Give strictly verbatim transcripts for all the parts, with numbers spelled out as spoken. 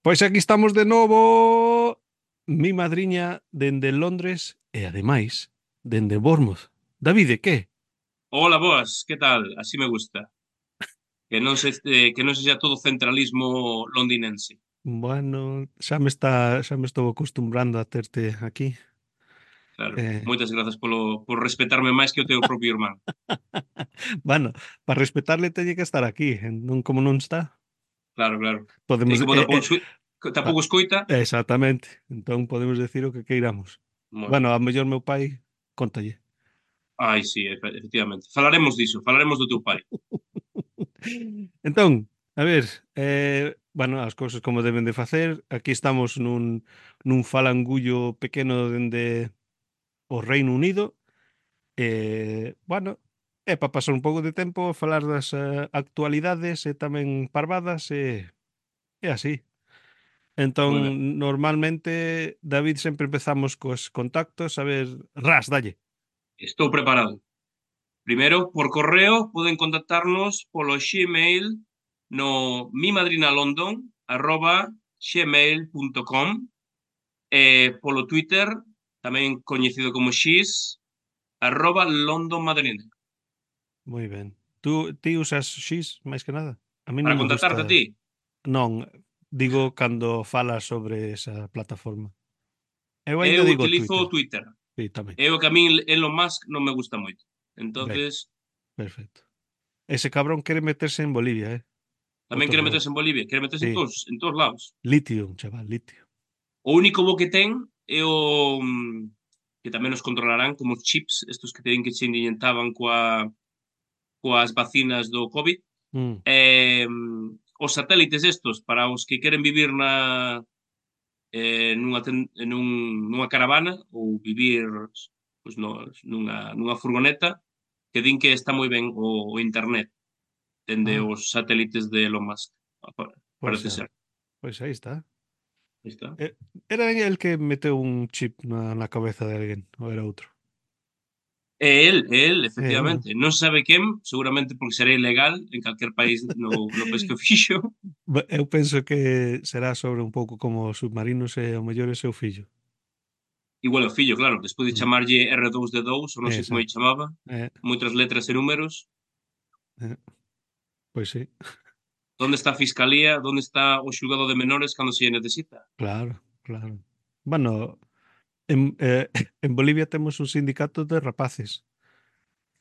Pois aquí estamos de novo, mi madriña dende Londres e ademais dende Bournemouth. Davide, que? Hola, boas, que tal? Así me gusta. Que non se, eh, que non sexa todo centralismo londinense. Bueno, xa me está, xa me estou acostumbrando a terte aquí. Claro. Eh, Moitas grazas polo, por respetarme máis que o teu propio irmán. bueno, para respetarle teñe que estar aquí, en- non como non está. Claro, claro. E Podemos como eh, tampouco, eh, escoi- ah, tampouco escoita, exactamente. Entón podemos decir o que queiramos. bueno. Bueno, a mellor meu pai contalle. Ai, sí, efe- efectivamente. Falaremos diso, falaremos do teu pai. Entón, a ver, eh, bueno, as cousas como deben de facer. Aquí estamos nun, nun falangullo pequeno dende o Reino Unido. Eh, bueno, é para pasar un pouco de tempo, falar das eh, actualidades e tamén parvadas e, e así. Moi ben. Entón, normalmente, David, sempre empezamos cos contactos. A ver, ras, dalle. Estou preparado. Primeiro, por correo, poden contactarnos polo Gmail no mimadrinalondon arroba gmail.com e polo Twitter, tamén coñecido como X, arroba London Madrid. Moi ben. Tú, ti usas X máis que nada? A mí non Para me contactarte a gusta. ti, Non, digo cando falas sobre esa plataforma. Eu eu aínda digo utilizo Twitter. o Twitter. Sí, tamén. É o que a min Elon Musk non me gusta moito. Ben, Entonces, perfecto. Ese cabrón quere meterse en Bolivia, eh? tamén Outro quere rollo. meterse en Bolivia, quere meterse Sí, en todos, en todos lados. litio, chaval, litio. O único bo que ten é o mm, que tamén nos controlarán como os chips, estos que teñen que se inyectaban coa, coas vacinas do COVID. Mm, Eh, os satélites estos para os que queren vivir na eh, nunha, ten, nun, nunha caravana ou vivir pois, no, nunha, nunha furgoneta que din que está moi ben o, o internet dende ah, os satélites de Elon Musk. pois Parece xa, ser. pois aí está. Aí está. Eh, Era el que meteu un chip na, na cabeza de alguén, ou era outro? É el, é el, É el, non? efectivamente. Non se sabe quen, seguramente porque será ilegal en calquer país no, no país que o fixo. Ba- Eu penso que será sobre un pouco como os submarinos e ao mellor é seu fillo. Igual o fillo, claro, despois de Mm, chamarlle R dous D dous, ou non sei como lle exacto. chamaba, Eh, moitas letras e números. eh, pois sí, Onde está a fiscalía? Onde está o xulgado de menores cando se lle necesita? claro, claro. Bueno, en, eh, en Bolivia temos un sindicato de rapaces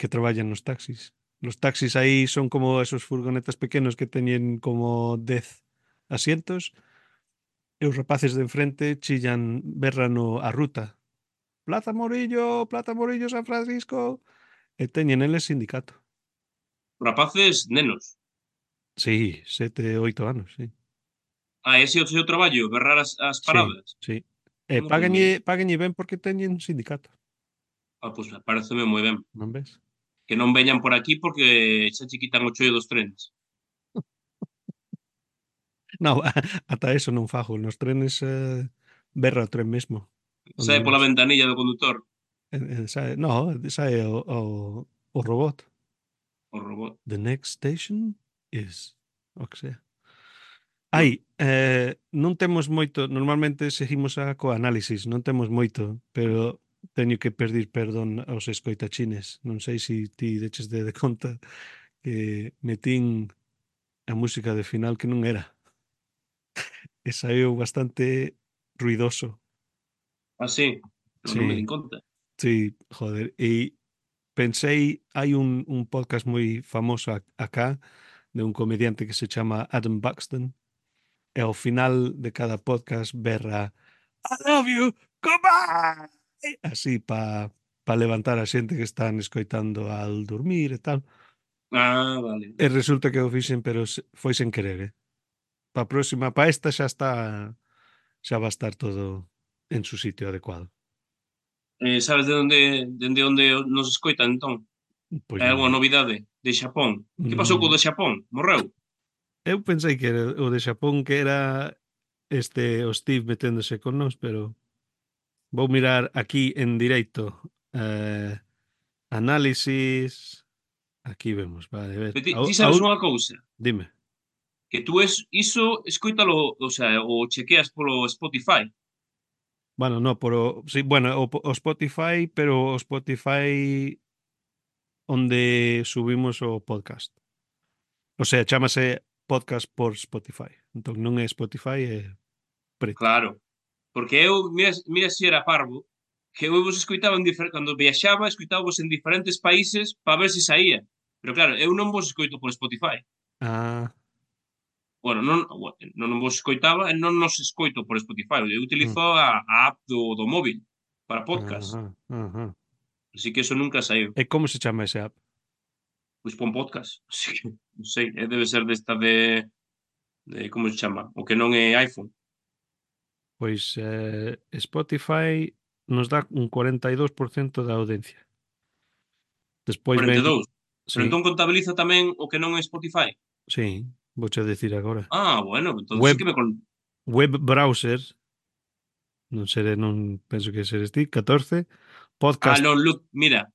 que traballan nos taxis. Los taxis aí son como esos furgonetas pequenos que teñen como dez asientos e os rapaces de enfrente chillan, berran o- a ruta. Plaza Morillo, Plaza Morillo, San Francisco. E teñen eles sindicato. Rapaces, nenos. Sí, sete, oito anos, sí. Ah, ese é o seu traballo, berrar as, as Sí, paradas. sí. E No, pois mira. páganlle, páganlle ben porque teñen sindicato, Ah, pois pareceme moi ben. non ves? Que non veñan por aquí porque xa che quitan o chollo dos trens. No, ata eso non fago. Nos trenes eh, berra o tren mesmo. Onde Sae pola imos. ventanilla do condutor Eh, eh, sae, no, sae o, o, o robot. o robot. The next station is... O que sea. Ai, Bueno, eh, non temos moito, normalmente seguimos a co análisis, non temos moito, pero teño que pedir perdón aos escoitachines. Non sei se si ti deches de, de conta que metín a música de final que non era. E saiu bastante ruidoso. así, non, non me Sí, din conta. sí, joder. E pensei, hai un, un podcast moi famoso a- acá de un comediante que se chama Adam Buxton e ao final de cada podcast berra I love you, goodbye! Así pa, pa levantar a xente que están escoitando al dormir e tal. Ah, vale. E resulta que o fixen, pero se- foi sen querer, eh? Pa próxima, pa esta xa está, xa va a estar todo en su sitio adecuado. Eh, sabes de onde, dende onde nos escoitan, entón? Pois Hai non, algunha novidade de Xapón? Que pasou co non, de Xapón? Morreu? eu pensei que era o de Xapón que era este o Steve meténdose con nós, pero vou mirar aquí en directo. Eh, análisis. Aquí vemos, vale, a ver. Pero ti, A, ti a, sabes unha cousa? dime. Que tú es, iso, escoítalo, o sea, o chequeas polo Spotify. Bueno, no, pero sí, bueno, o, po- o Spotify, pero o Spotify onde subimos o podcast. O sea, chámase podcast por Spotify. Entón non é Spotify, é preto. Claro. Porque eu, mira, mira se era parvo, que eu vos escoitaba en difer... cando viaxaba, escoitábamos en diferentes países para ver se saía. Pero claro, eu non vos escoito por Spotify. Ah, Bueno, non, non, non vos escoitaba e non nos escoito por Spotify. Eu mm, utilizo a, a app do, do móvil para podcast. ajá, ajá. Así que eso nunca saiu. E como se chama ese app? Pois pon podcast. Así que, non sei, eh, debe ser desta de, de como se chama? O que non é iPhone. Pois eh, Spotify nos dá un cuarenta y dos por ciento da audiencia. Despois cuarenta ven, e dous. Pero sí, entón contabiliza tamén o que non é Spotify. sí, vouche decir agora. Ah, bueno, entonces sí Web, que me con... web browser, non seré, non penso que seres ti, catorce. Ah, Podcast, non, look, mira,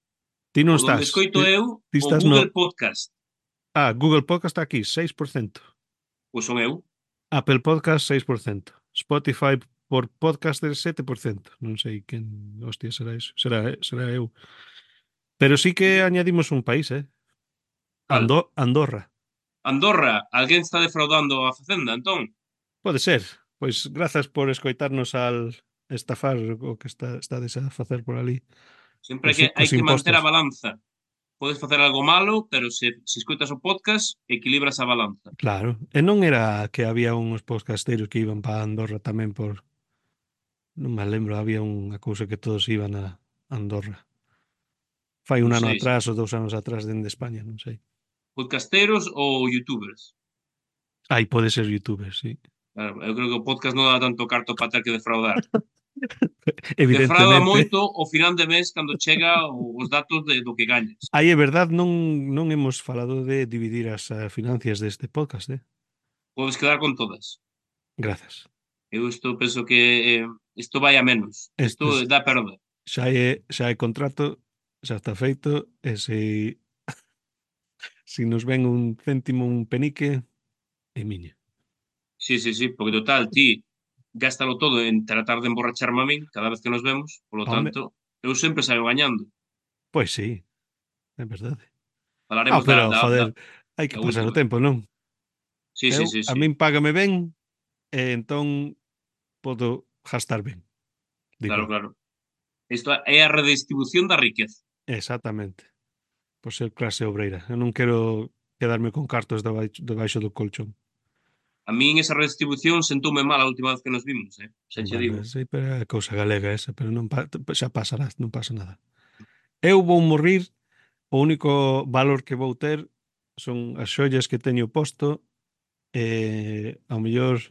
ti non o donde estás, escoito ti, eu, ti o estás no... Google Podcast. Ah, Google Podcast está aquí, seis por ciento. Pois son eu. Apple Podcast, seis por ciento. Spotify por podcaster, sete por ciento. Non sei quen, hostia, será eso. Será, será eu. Pero sí que añadimos un país, eh? Cal? Ando Andorra. Andorra, alguén está defraudando a Facenda, entón? Pode ser. Pois grazas por escoitarnos al estafar o que está, estades a facer por ali. Sempre hai Cos, que, i- hai cos que manter impostos. a balanza. Podes facer algo malo, pero se, se escoitas o podcast, equilibras a balanza. Claro. E non era que había uns podcasteiros que iban para Andorra tamén por... Non me lembro, había unha cousa que todos iban a Andorra. Fai un Non ano sei, se atrás ou dous anos atrás dende España, non sei. podcasteros ou youtubers. Aí pode ser youtuber, sí. Claro, eu creo que o podcast non dá tanto carto para ter que defraudar. Defrauda Evidentemente. moito ao final de mes cando chega os datos de, do que gañas. Aí é verdade, non, non hemos falado de dividir as eh, financias deste podcast, eh? Podes quedar con todas. Grazas. Eu isto penso que eh, isto vai a menos. Isto Este dá perda. xa é, xa é contrato, xa está feito, e se, se nos ven un céntimo, un penique, é miña. Sí, sí, sí, porque total, ti gástalo todo en tratar de emborracharme a min cada vez que nos vemos, polo Home, tanto, eu sempre saio gañando. pois sí, é verdade. Ah, Falaremos da, pero, da, da, joder, hai que da pasar o última. tempo, non? Sí, sí, Eu, sí, a sí. min págame ben, e entón podo gastar ben, digo Claro, eu. claro. Isto é a redistribución da riqueza. Exactamente. Por ser clase obreira. Eu non quero quedarme con cartos debaixo, debaixo do colchón. A min esa redistribución sentoume mal a última vez que nos vimos, eh? Xa che Bueno, digo. sí, pero é cousa galega esa, pero non pa, xa pasará, non pasa nada. Eu vou morrir, o único valor que vou ter son as xollas que teño posto e ao mellor,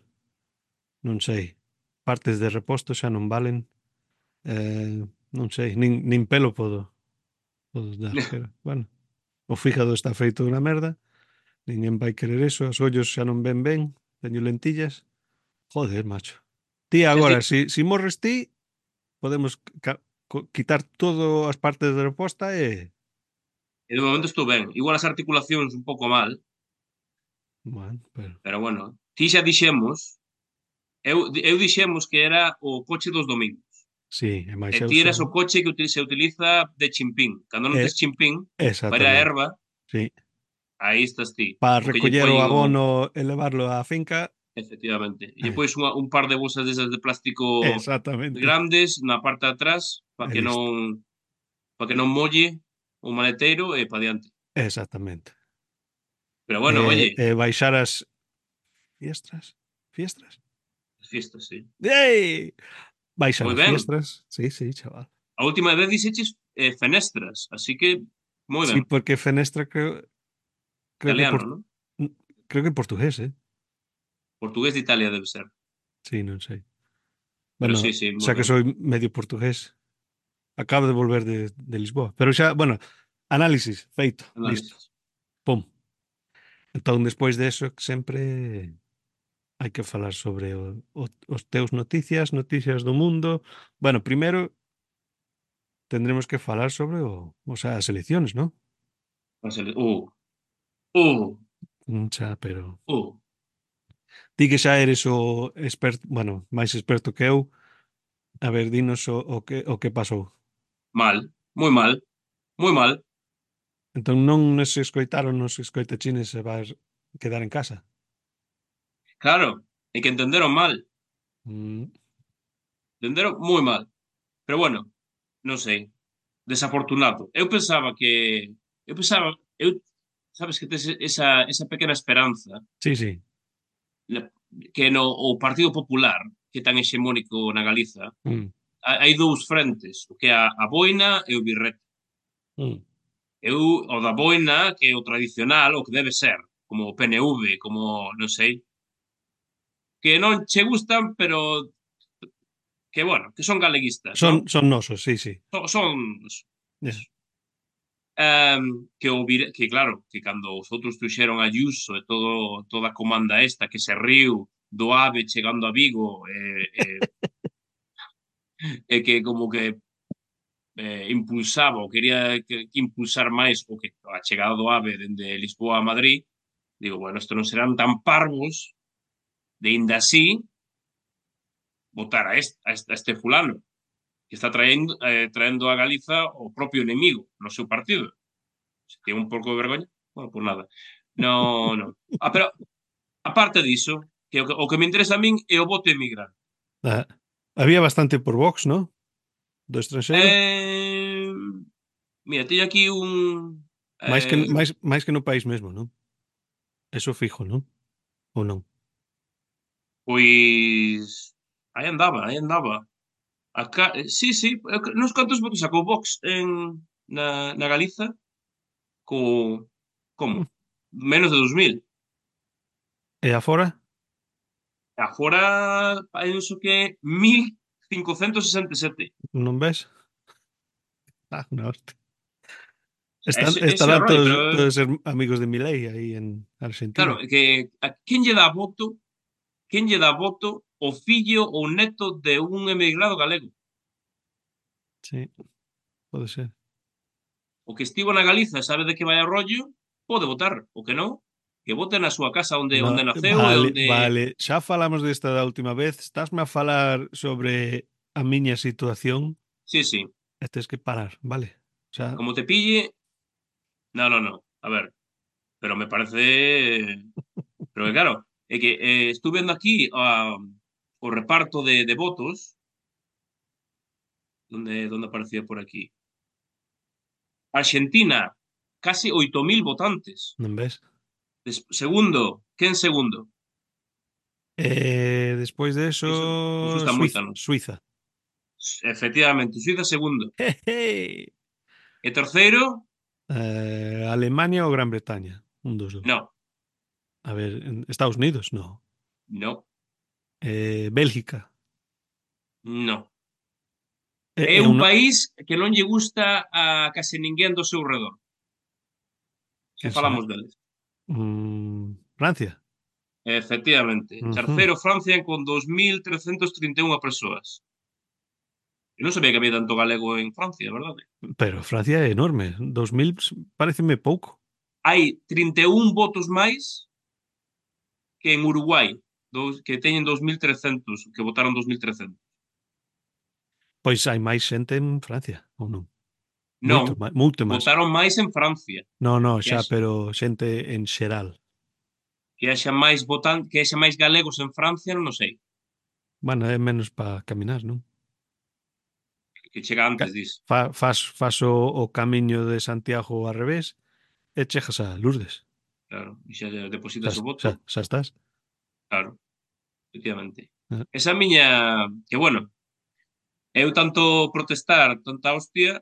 non sei, partes de reposto xa non valen, eh, non sei, nin, nin pelo podo, podo dar, pero, bueno, o fígado está feito unha merda, ninguén vai querer eso, os ollos xa non ven ben, teño lentillas, joder, macho. Ti Xa ti, agora, si, si morres ti, podemos ca- co- quitar todas as partes de reposta e... e de momento estou ben. Igual as articulacións un pouco mal, Bueno, pero... pero bueno. Ti xa dixemos, eu, eu dixemos que era o coche dos domingos. Sí, e máis E eu ti eras son... o coche que util- se utiliza de chimpín. Cando non tes É, chimpín, para ir á exactamente, erva, sí. aí estás ti. Para O que lle recoller poi o o... abono e levarlo á finca, Efectivamente. E lle eh, pois unha, un par de bolsas desas de plástico exactamente, grandes na parte de atrás para e que non listo. para que non molle o maleteiro e para diante. Exactamente. Pero E, bueno, oye, e baixar as fiestras, fiestras? as fiestas, sí. Ei! Baixar Moi as ben. fiestras, sí, sí, chaval. A última vez dixeches eh, fenestras, así que moi Sí, ben. porque fenestra creo, creo que por, Italiano, non? creo que en portugués, eh? Portugués de Italia debe ser. Sí, non sei. Pero Bueno, sí, sí, moi xa que ben. soy medio portugués, acabo de volver de, de Lisboa. Pero xa, bueno, análisis, feito, listo. Análisis. Pum. Entón, despois de eso, sempre hai que falar sobre o, o, os teus noticias, noticias do mundo. Bueno, primeiro tendremos que falar sobre o, o sea, as elecciones, ¿no? Uh, uh, Mm, xa, pero uh. Ti que xa eres o experto, bueno, máis experto que eu, a ver, dinos o, o que o que pasou. Mal, moi mal, moi mal. Entón non nos escoitaron nos escoitachines e vas quedar en casa. Claro, é que entenderon mal, Mm, entenderon moi mal. Pero bueno, non sei, desafortunado. Eu pensaba que eu pensaba, eu sabes que tes esa esa pequena esperanza sí, sí. na- que no o Partido Popular, que é tan hexemónico na Galiza, Mm, ha- hai dous frentes, o que é a, a boina e o birrete. mm. Eu, o da boina, que é o tradicional, o que debe ser, como o P N V, como, non sei, que non che gustan, pero que, bueno, que son galeguistas, non? Son, son nosos, sí, sí. Son, son Yeah. um, que o vir, que claro, que cando os outros tuxeron a Ayuso e todo, toda a comanda esta que se riu do AVE chegando a Vigo e, e, e que como que eh, impulsaba ou quería que, que impulsar máis o que a chegada do AVE dende Lisboa a Madrid, digo, bueno, isto non serán tan parvos de ainda así votar a este, a este, a este fulano que está traendo, eh, traendo a Galiza o propio enemigo no seu partido. Se tiene un pouco de vergoña, bueno, pues nada. No, no. Ah, pero aparte diso, que o, que o que me interesa a min é o voto emigrante. Ah, había bastante por Vox, ¿no? Do estranxeiro. Eh, mira, teño aquí un... Máis que, Eh, máis, máis que no país mesmo, non? Eso fijo, non? Ou non? pois... Aí andaba, aí andaba. Acá, eh, sí, sí, eu cre- nos cantos votos sacou Vox en, na, na Galiza co... Como? Mm. Menos de dos mil. E afora? Agora penso que mil cincocentos sesenta e sete. Non ves? Ah, una hostia. Están, Ese, ese é o estarán rollo, pero todos, todos ser amigos de Milei aí en claro, Argentina. é que a quen lle dá voto, quen lle dá voto o fillo ou neto de un emigrado galego. Sí, pode ser. O que estivo na Galiza e sabe de que vai a rollo, pode votar. O que non, que vote na súa casa onde No, onde naceu e vale, onde... vale. Xa falamos desta da última vez. Estásme a falar sobre a miña situación Sí, sí, e tes que parar, vale? O sea, como te pille... No, no, no. A ver, pero me parece... Pero que claro, é que eh, estuve vendo aquí a, o reparto de, de votos, donde, donde aparecía por aquí. Argentina, casi oito mil votantes. non ves? Des- segundo, quen segundo? Eh, despois de Iso, iso eso, está moita, Suiza. non? Suiza. Efectivamente, Suiza segundo. Jeje. E terceiro, Eh, Alemania ou Gran Bretaña? Un dos dos. no, A ver, en Estados Unidos, no. no, Eh, Bélgica. no. É, É é un un, país que non lle gusta a case ninguén do seu redor, se quen será? falamos deles. Mm, Francia. Efectivamente. Ujú. Terceiro, Francia, con dos mil trescentos trinta e unha persoas. Eu non sabía que había tanto galego en Francia, verdade? Pero Francia é enorme. Dos mil pareceme pouco. Hai trinta e un votos máis que en Uruguai, dos, que teñen dos mil trescentos, que votaron dos mil trescentos. Pois hai máis xente en Francia, ou non? Non, Moito máis, moito máis. votaron máis en Francia. No, no, Que xa, haxa, pero xente en xeral. que haxa máis votan, que haxa máis galegos en Francia, non o sei. Bueno, é menos para caminar, non? Que chega Ca- antes, dis. Fa, fas, fas o, o camiño de Santiago ao revés e chegas a Lourdes. Claro, e xa Xa, depositas o voto. xa, xa estás. Claro, efectivamente. Eh, Esa miña, que bueno, eu tanto protestar, tanta hostia,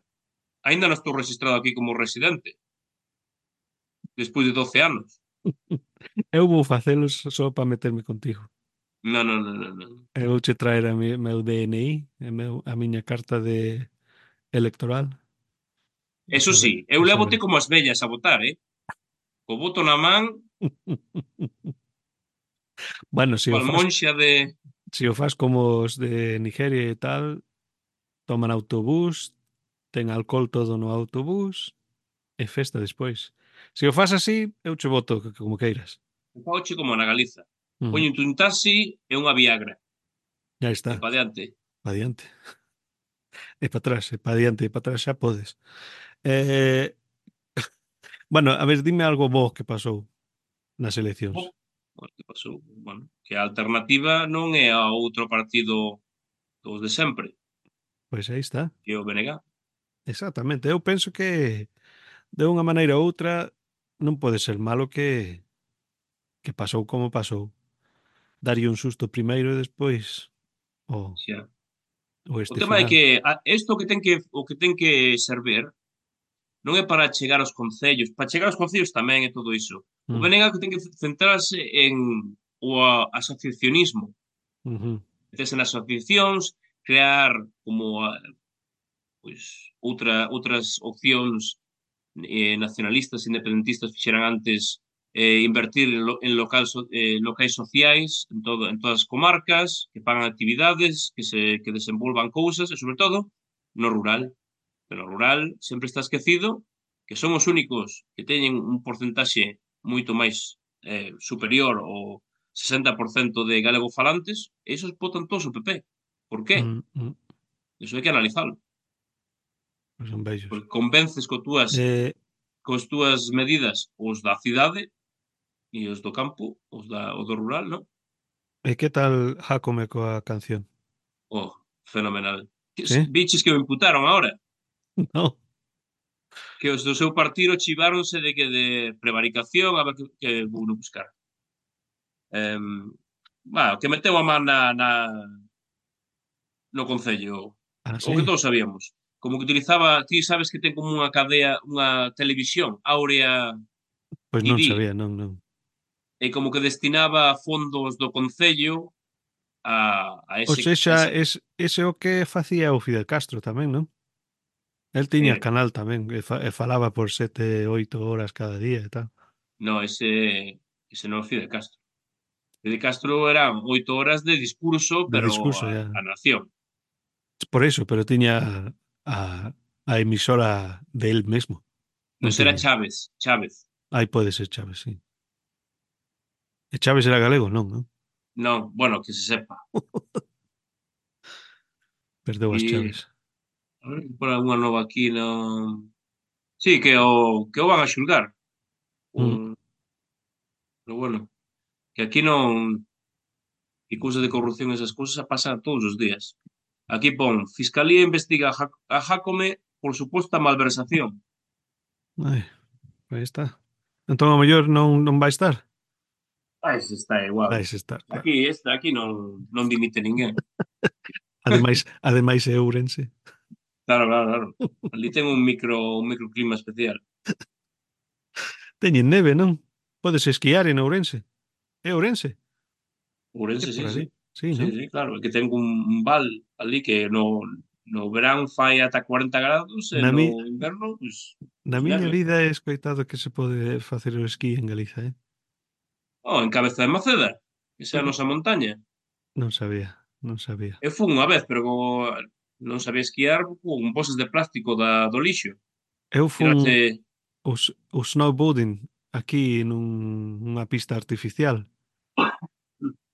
aínda non estou registrado aquí como residente, despois de doce anos. Eu vou facelos só para meterme contigo. Non, non, non, non, non. Eu vouche traer a mi, meu D N I, a, meu, a miña carta de electoral. E Eso xa, sí, ve- eu e xa lévote veremos. como as vellas a votar, eh? Co voto na man, Bueno, se o cual faz, monxa de... se o faz como os de Nigeria e tal, toman autobús, ten alcohol todo no autobús e festa despois. Se o faz así, eu che voto que- como queiras. Fauche como na Galiza. Mm, Poñente un taxi e unha Viagra. ya E está. pa diante. Pa diante. E para atrás, e para diante, e para atrás xa podes. Eh, bueno, a ver, dime algo bo que pasou nas eleccións. Bo, bueno, que pasou? Bueno, que a alternativa non é a outro partido dos de sempre, Pois aí está. que é o B N G. Exactamente. Eu penso que de unha maneira ou outra non pode ser malo que que pasou como pasou. Daría un susto primeiro e despois o, Xa. o O este tema é final. que a, isto que ten que o que ten que servir non é para chegar aos concellos, para chegar aos concellos tamén é todo iso. O Mm, B N G que ten que centrarse en o a, asociacionismo, ujú, meterse nas asociacións, crear como a, pois outra outras opcións eh, nacionalistas, independentistas fixeran antes eh, invertir en, lo, en local, so, eh, locais sociais en, todo, en todas as comarcas, que pagan actividades, que se que desenvolvan cousas e, sobre todo, no rural. Pero no rural sempre está esquecido que son os únicos que teñen un porcentaxe moito máis eh, superior ao sesenta por cento de galego-falantes, e esos votan todos o P P. Por qué? mm, mm, Iso hai que analizalo. pois son bellos. Porque convences co túas, Eh, cos túas medidas os da cidade e os do campo, os da, o do rural, non? e que tal Jácome coa canción? Oh, fenomenal. Que, Sí? biches que o imputaron ahora, No. que os do seu partido chiváronse de que de prevaricación, a ver que, que vou buscar. Eh, bah, que meteu a man na, na, no Concello, Ah, o que sí? todos sabíamos. Como que utilizaba, ti sabes que ten como unha cadea, unha televisión, Áurea Pois non T V, sabía, non, non. e como que destinaba fondos do Concello a, a Ou ese, a sexa, esa, es, ese é o que facía o Fidel Castro tamén, non? El tiña eh, canal tamén e, fa, e falaba por sete, oito horas cada día e tal. no, ese, ese non é Fidel Castro. Fidel Castro eran oito horas de discurso, De pero discurso, a, ya. a nación. Por eso, pero tiña a, a emisora de él mesmo. Non Non será tiña. Chávez, Chávez. Aí pode ser Chávez, sí. E Chávez era galego, non, non? Non, bueno, que se sepa. Perdeu as E chaves. a ver, por algunha nova aquí no. Sí, que o que o van a xulgar. Mm. Un, pero bueno, que aquí non que cousas de corrupción e esas cousas pasan todos os días. Aquí pon, Fiscalía investiga a, Jac- a Jácome por suposta malversación. Ai, aí está. Entón, ao mellor non, non vai estar. Ah, ese está igual. Vais estar, claro. Aquí, este, aquí non, non dimite ninguén. Ademais, ademais é Ourense. Claro, claro, claro. Ali ten un micro, un microclima especial. Teñen neve, non? Podes esquiar en Ourense. É Ourense? É Ourense, por sí, ali. sí. Sí, Sí, non? sí, claro. Que ten un, un val ali que no, no verán fai ata cuarenta grados e Na, no mi, inverno, pues, na pues miña neve. vida he escoitado que se pode facer o esquí en Galiza, eh? Oh, en Cabeza de Maceda, esa é a Mm, nosa montaña. non sabía, non sabía. Eu fun unha vez, pero como non sabía esquiar con bolsas de plástico da, do lixo. Eu fun Tirache... o, s- o snowboarding aquí nun, nunha pista artificial.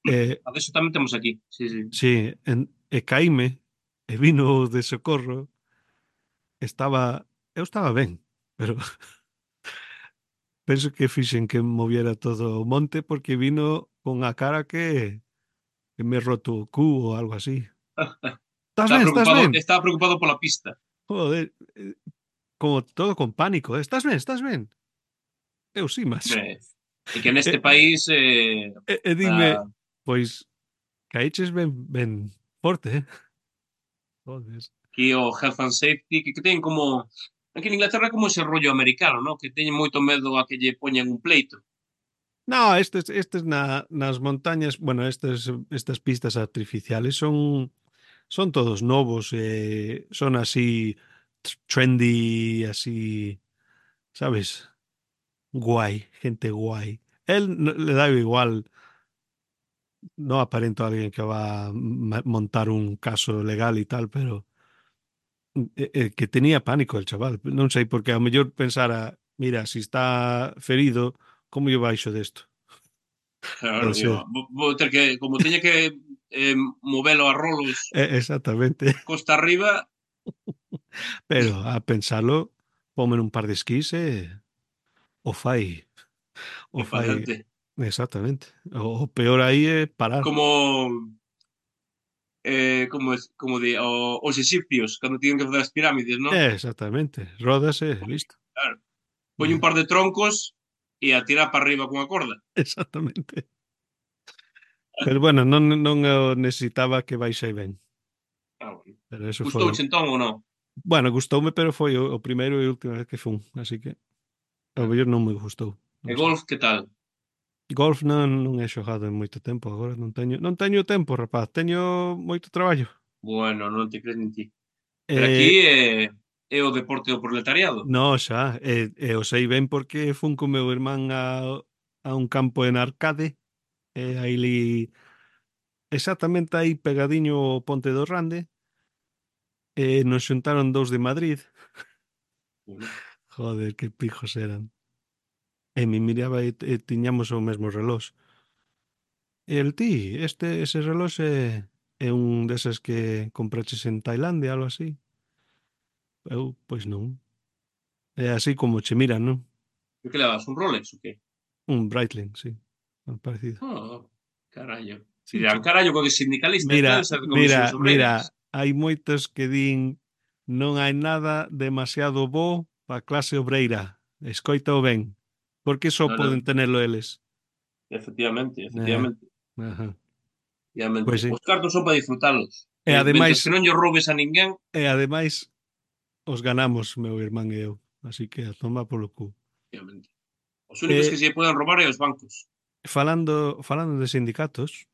E, A eso tamén temos aquí. Sí, sí. sí, en, e caíme e vino o de socorro. Estaba, eu estaba ben, pero penso que fixen que moviera todo o monte porque vino con a cara que, que me roto o cu ou algo así. Estás Estaba ben, estás preocupado, ben? estaba preocupado pola pista. Joder, eh, como todo con pánico, eh? Estás ben, estás ben? Eu sí, macho. Hombre, e que neste E, país eh, e, e dime, a, pois, caíches ben, ben forte, eh? Joder. aquí o Health and Safety, que, que teñen como... Aquí en Inglaterra é como ese rollo americano, ¿no? Que teñen moito medo a que lle poñan un pleito. No, estes, estes na, nas montañas, bueno, estes, estas pistas artificiales son son todos novos, eh, son así t- trendy, así, ¿sabes? Guay, gente guay. Él no- le da igual, no aparento a alguien que va a ma- montar un caso legal y tal, pero eh, eh, que tenía pánico el chaval. Non sei, porque a mellor pensara, mira, si está ferido, como yo baixo desto? Claro, Pode yo, ser. vou, vou ter que, como teña que eh, movelo a rolos E- exactamente. costa arriba, Pero a pensalo, ponme un par de esquís e o fai, o é para fai diante. exactamente. O, o peor aí é parar. Como, eh, como, es, como de, o, os egipcios, cando tiñen que fazer as pirámides, non? É, exactamente. Rodas e listo. Claro, poñe un Eh, par de troncos e a tirar para arriba cunha corda. exactamente. Pero bueno, non, non o necesitaba que baixei ben. Ah, bueno. Pero eso foi... Gustouche entón ou non? Bueno, gustoume, pero foi o, o primeiro e última vez que fun. Así que ao Ah. mellor non me gustou. E Non sei. golf, que tal? Golf non, non he xogado en moito tempo agora. Non teño, non teño tempo, rapaz. Teño moito traballo. Bueno, non te crees nin ti. Pero aquí Eh, é, é o deporte do proletariado. no, xa. E, e o sei ben porque fun co meu irmán a, a un campo en Arcade. E aí li exactamente aí pegadiño ao Ponte do Rande. E nos xuntaron dous de Madrid. Bueno, Joder, que pijos eran. E me miraba e, e tiñamos o mesmo relós. E el ti, este, ese relós é, é un deses que compraches en Tailandia, algo así. Eu, pois non. É así como che miran, non? por que levas un Rolex o qué? Un Breitling, sí. Algo parecido. Oh, carallo. Sí, Dirán, che. carallo, co que sindicalista e tal, Mira, esa de mira, comisións mira, obreiras. hai moitos que din non hai nada demasiado bo para clase obreira. Escoitao ben. Porque só Non, non, poden tenelo eles. efectivamente, Eh, efectivamente. ajá. Efectivamente. Pois sí. Os cartos son para disfrutalos. E Eh, ademais, mentres que non lle roubes a ninguén, e ademais os ganamos, meu irmán e eu. Así que a tomar polo cu. efectivamente. Os únicos E que se lle poden roubar é os bancos. falando, falando de sindicatos,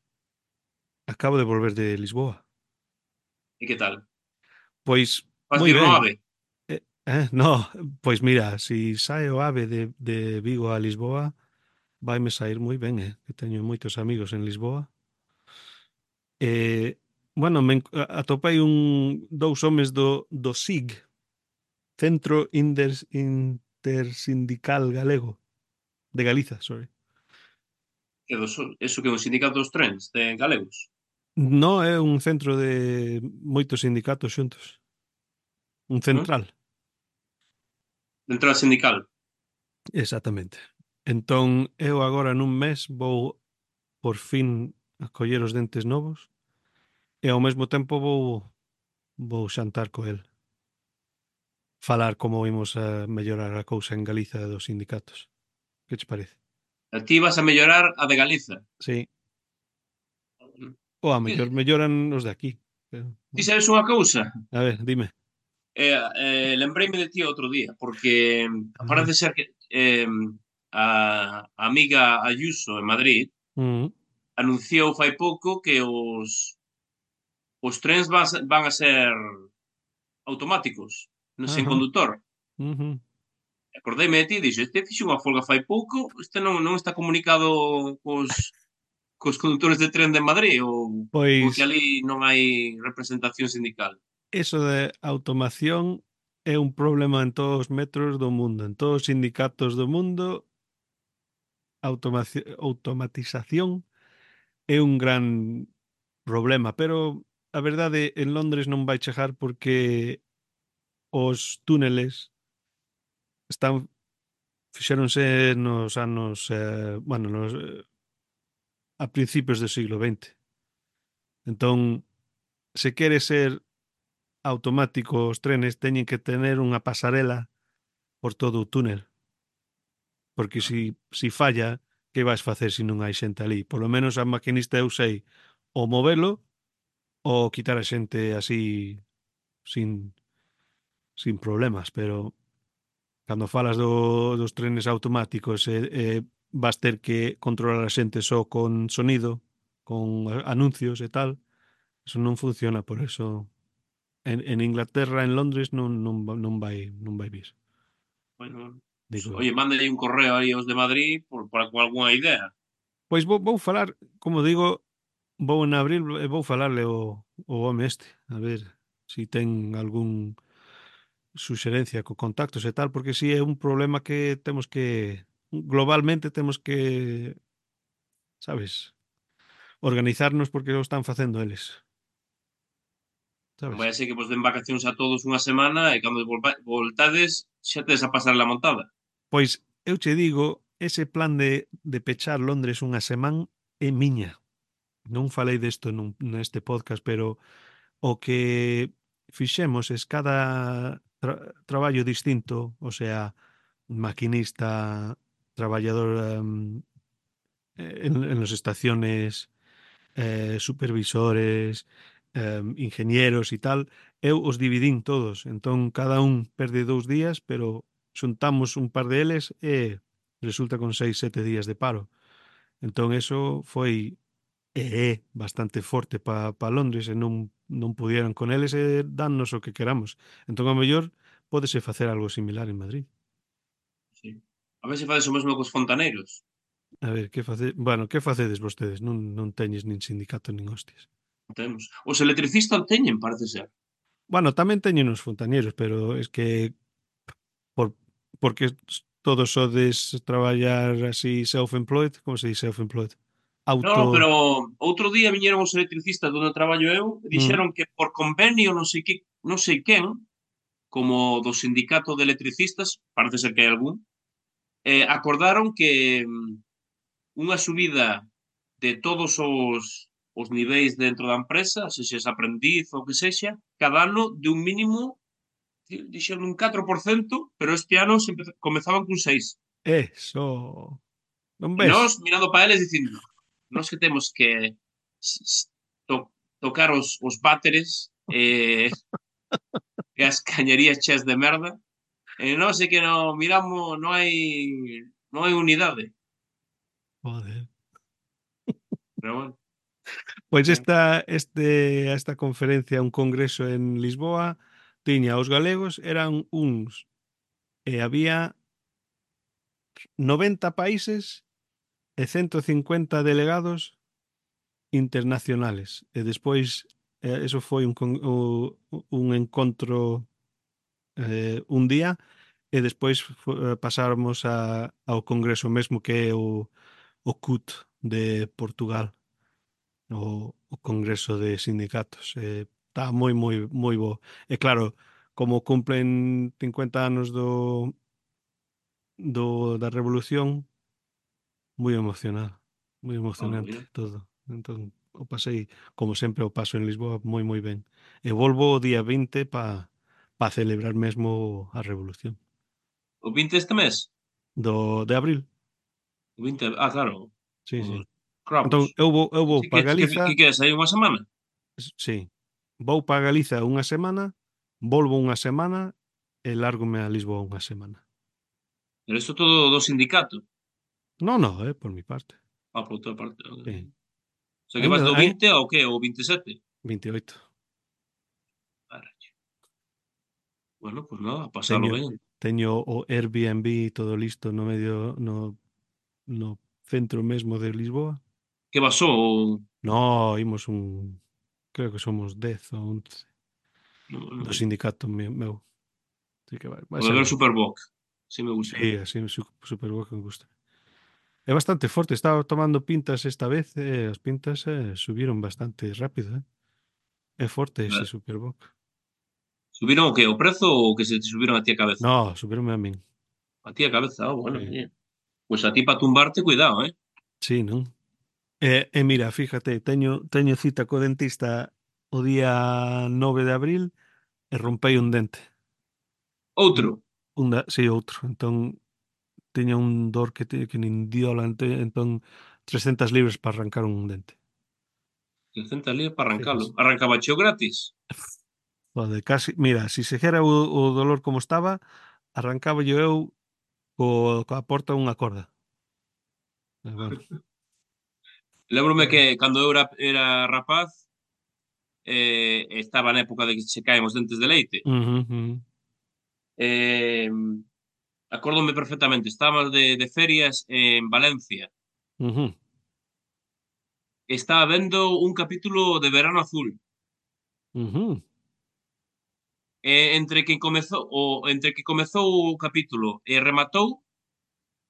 acabo de volver de Lisboa. E que tal? Pois Vas moi vir no ben. AVE? Eh, eh, no, pois mira, si sae o AVE de, de Vigo a Lisboa, vaime sair moi ben, eh? Que teño moitos amigos en Lisboa. E, bueno, me, en- a- atopei un, dous homes do, do S I G, Centro Inders, Intersindical Galego, de Galiza, sorry. Que dos, eso que é un sindicato dos trens de galegos. No é un centro de moitos sindicatos xuntos. Un Non? central, De entrada sindical. exactamente. Entón, eu agora nun mes vou por fin a coller os dentes novos e ao mesmo tempo vou vou xantar co el. Falar como imos a mellorar a cousa en Galiza dos sindicatos. Que che parece? A ti vas a mellorar a de Galiza. Sí. Ou a Que, mellor melloran os de aquí. Pero, ti bueno. sabes unha cousa? A ver, dime. Eh, eh, lembreime de ti outro día, porque Ah, parece ser que eh, a, a amiga Ayuso en Madrid mm, anunciou fai pouco que os, os trens van, a- van a ser automáticos, non sen ajá, condutor. ujú. Acordeime de ti e dixo, este fixo unha folga fai pouco, este non, non está comunicado cos, cos conductores de tren de Madrid ou porque Pois ali non hai representación sindical. eso de automación é un problema en todos os metros do mundo, en todos os sindicatos do mundo. Automaci automatización é un gran problema, pero a verdade en Londres non vai chegar porque os túneles están fixéronse nos anos, eh, bueno, nos, eh, a principios do siglo vinte. Entón, se quere ser automático os trenes, teñen que tener unha pasarela por todo o túnel, porque si, si falla, que vais facer se non hai xente ali? Por lo menos a maquinista eu sei o movelo ou quitar a xente así sin, sin problemas, pero cando falas do, dos trenes automáticos e, e vas ter que controlar a xente só con sonido, con anuncios e tal, eso non funciona, por eso en, en Inglaterra, en Londres non, non, va- non vai non vai vir, Bueno, pues, digo eu. oye, mándale un correo aí aos de Madrid por, por, con algunha idea. Pois vou, vou falar, como digo, vou en abril e vou falarle o, o home este, a ver si ten algún suxerencia co contactos e tal, porque si é un problema que temos que globalmente temos que sabes? Organizarnos porque o están facendo eles, Non sabes? vai a ser que vos den vacacións a todos unha semana e cando volva- voltades xa tedes a pasar la montada. Pois eu che digo, ese plan de, de pechar Londres unha semana é miña. Non falei desto nun, neste podcast, pero o que fixemos es cada tra traballo distinto, o sea, maquinista, traballador um, en, en las estaciones, eh, supervisores, eh, ingenieros e tal, eu os dividín todos. Entón, cada un perde dous días, pero xuntamos un par de eles e resulta con seis, sete días de paro. Entón, eso foi e é bastante forte para pa Londres e non, non pudieran con eles e dannos o que queramos. Entón, ao mellor, pódese facer algo similar en Madrid. Sí. A ver se fades o mesmo cos fontaneiros. A ver, que face... Bueno, que facedes vostedes? Non, non teñes nin sindicato nin hostias. Temos. Os electricistas teñen, parece ser. Bueno, tamén teñen os fontañeros, pero es que por, porque todos sodes traballar así self-employed, como se dice self-employed? No, no, Auto... pero outro día viñeron os electricistas onde traballo eu e Mm, dixeron que por convenio non sei que, non sei quen, como do sindicato de electricistas, parece ser que hai algún, eh, acordaron que mm, unha subida de todos os, os niveis dentro da empresa, se xes aprendiz ou que sexa, cada ano de un mínimo, dixeron un catro por cento, pero este ano se empeza- comezaban cun seis. eso... Non E ves? nós mirando para eles dicindo, nós que temos que to, tocar os, os váteres eh, e as cañerías cheas de merda, e nós é que non miramos, non hai non hai unidade. Joder. Pero bueno, Pois eh, esta, este, esta conferencia, un congreso en Lisboa, tiña os galegos, eran uns, e había noventa países e ciento cincuenta delegados internacionales. E despois, eh, eso foi un, con- o- un encontro eh, un día, e despois fo- eh, pasáramos a, ao congreso mesmo que é o, o C U T de Portugal, o, o Congreso de Sindicatos. Eh, está moi, moi, moi bo. E claro, como cumplen cincuenta anos do, do da Revolución, moi emocionado, moi oh, emocionante mira. todo. Entón, o pasei, como sempre, o paso en Lisboa moi, moi ben. E volvo o día vinte para pa celebrar mesmo a Revolución. O vinte este mes? Do, de abril, O vinte, ah, claro, sí, os sí. cravos. Entón, eu vou, eu vou Así que, para que, Galiza, que, que é, aí unha semana? sí, vou para Galiza unha semana, volvo unha semana e lárgome a Lisboa unha semana. Pero isto todo do sindicato. No, no, eh, por mi parte. Ah, por outra parte. O Sí. sea, que vas Ainda, do hai vinte ao que? Ao vinte e sete? veintiocho. Caracho. Bueno, pues nada, a pasalo Teño, ben. teño o Airbnb todo listo no medio, no, no centro mesmo de Lisboa. Que basou? No, imos un, creo que somos dez ou once No, do no. sindicato meu. meu. Así que vai, vai O de ser ver ben. Superboc. Sí me gusta. Sí, así su, super bo que me gusta. É bastante forte, estaba tomando pintas esta vez e as pintas eh, subiron bastante rápido, eh. É forte ese Eh, Superboc. Subiron o que? O prezo ou que se te subiron a ti a cabeza? No, subironme a min. A ti a cabeza, ah, bueno, Sí, oye. Pues a ti para tumbarte, cuidado, eh. sí, non? E, e mira, fíjate, teño, teño cita co dentista o día nove de abril e rompei un dente. Un, Outro. un da, sí, outro. Entón, tiña un dor que, te, que nin diola, ente- entón, trescentas libras para arrancar un dente. trescentas libras para arrancalo. Fíjese. Arrancaba cheo gratis. Joder, casi, mira, si se xera o, o dolor como estaba, arrancaba yo eu co, coa porta unha corda. Pero bueno. Lembrome Eh, que cando eu era, era rapaz, eh, estaba na época de que se caen os dentes de leite. ujú, ujú, Eh, acórdome perfectamente, estábamos de, de ferias en Valencia. ujú, Estaba vendo un capítulo de Verano Azul. ujú, E entre que comezou o entre que comezou o capítulo e rematou,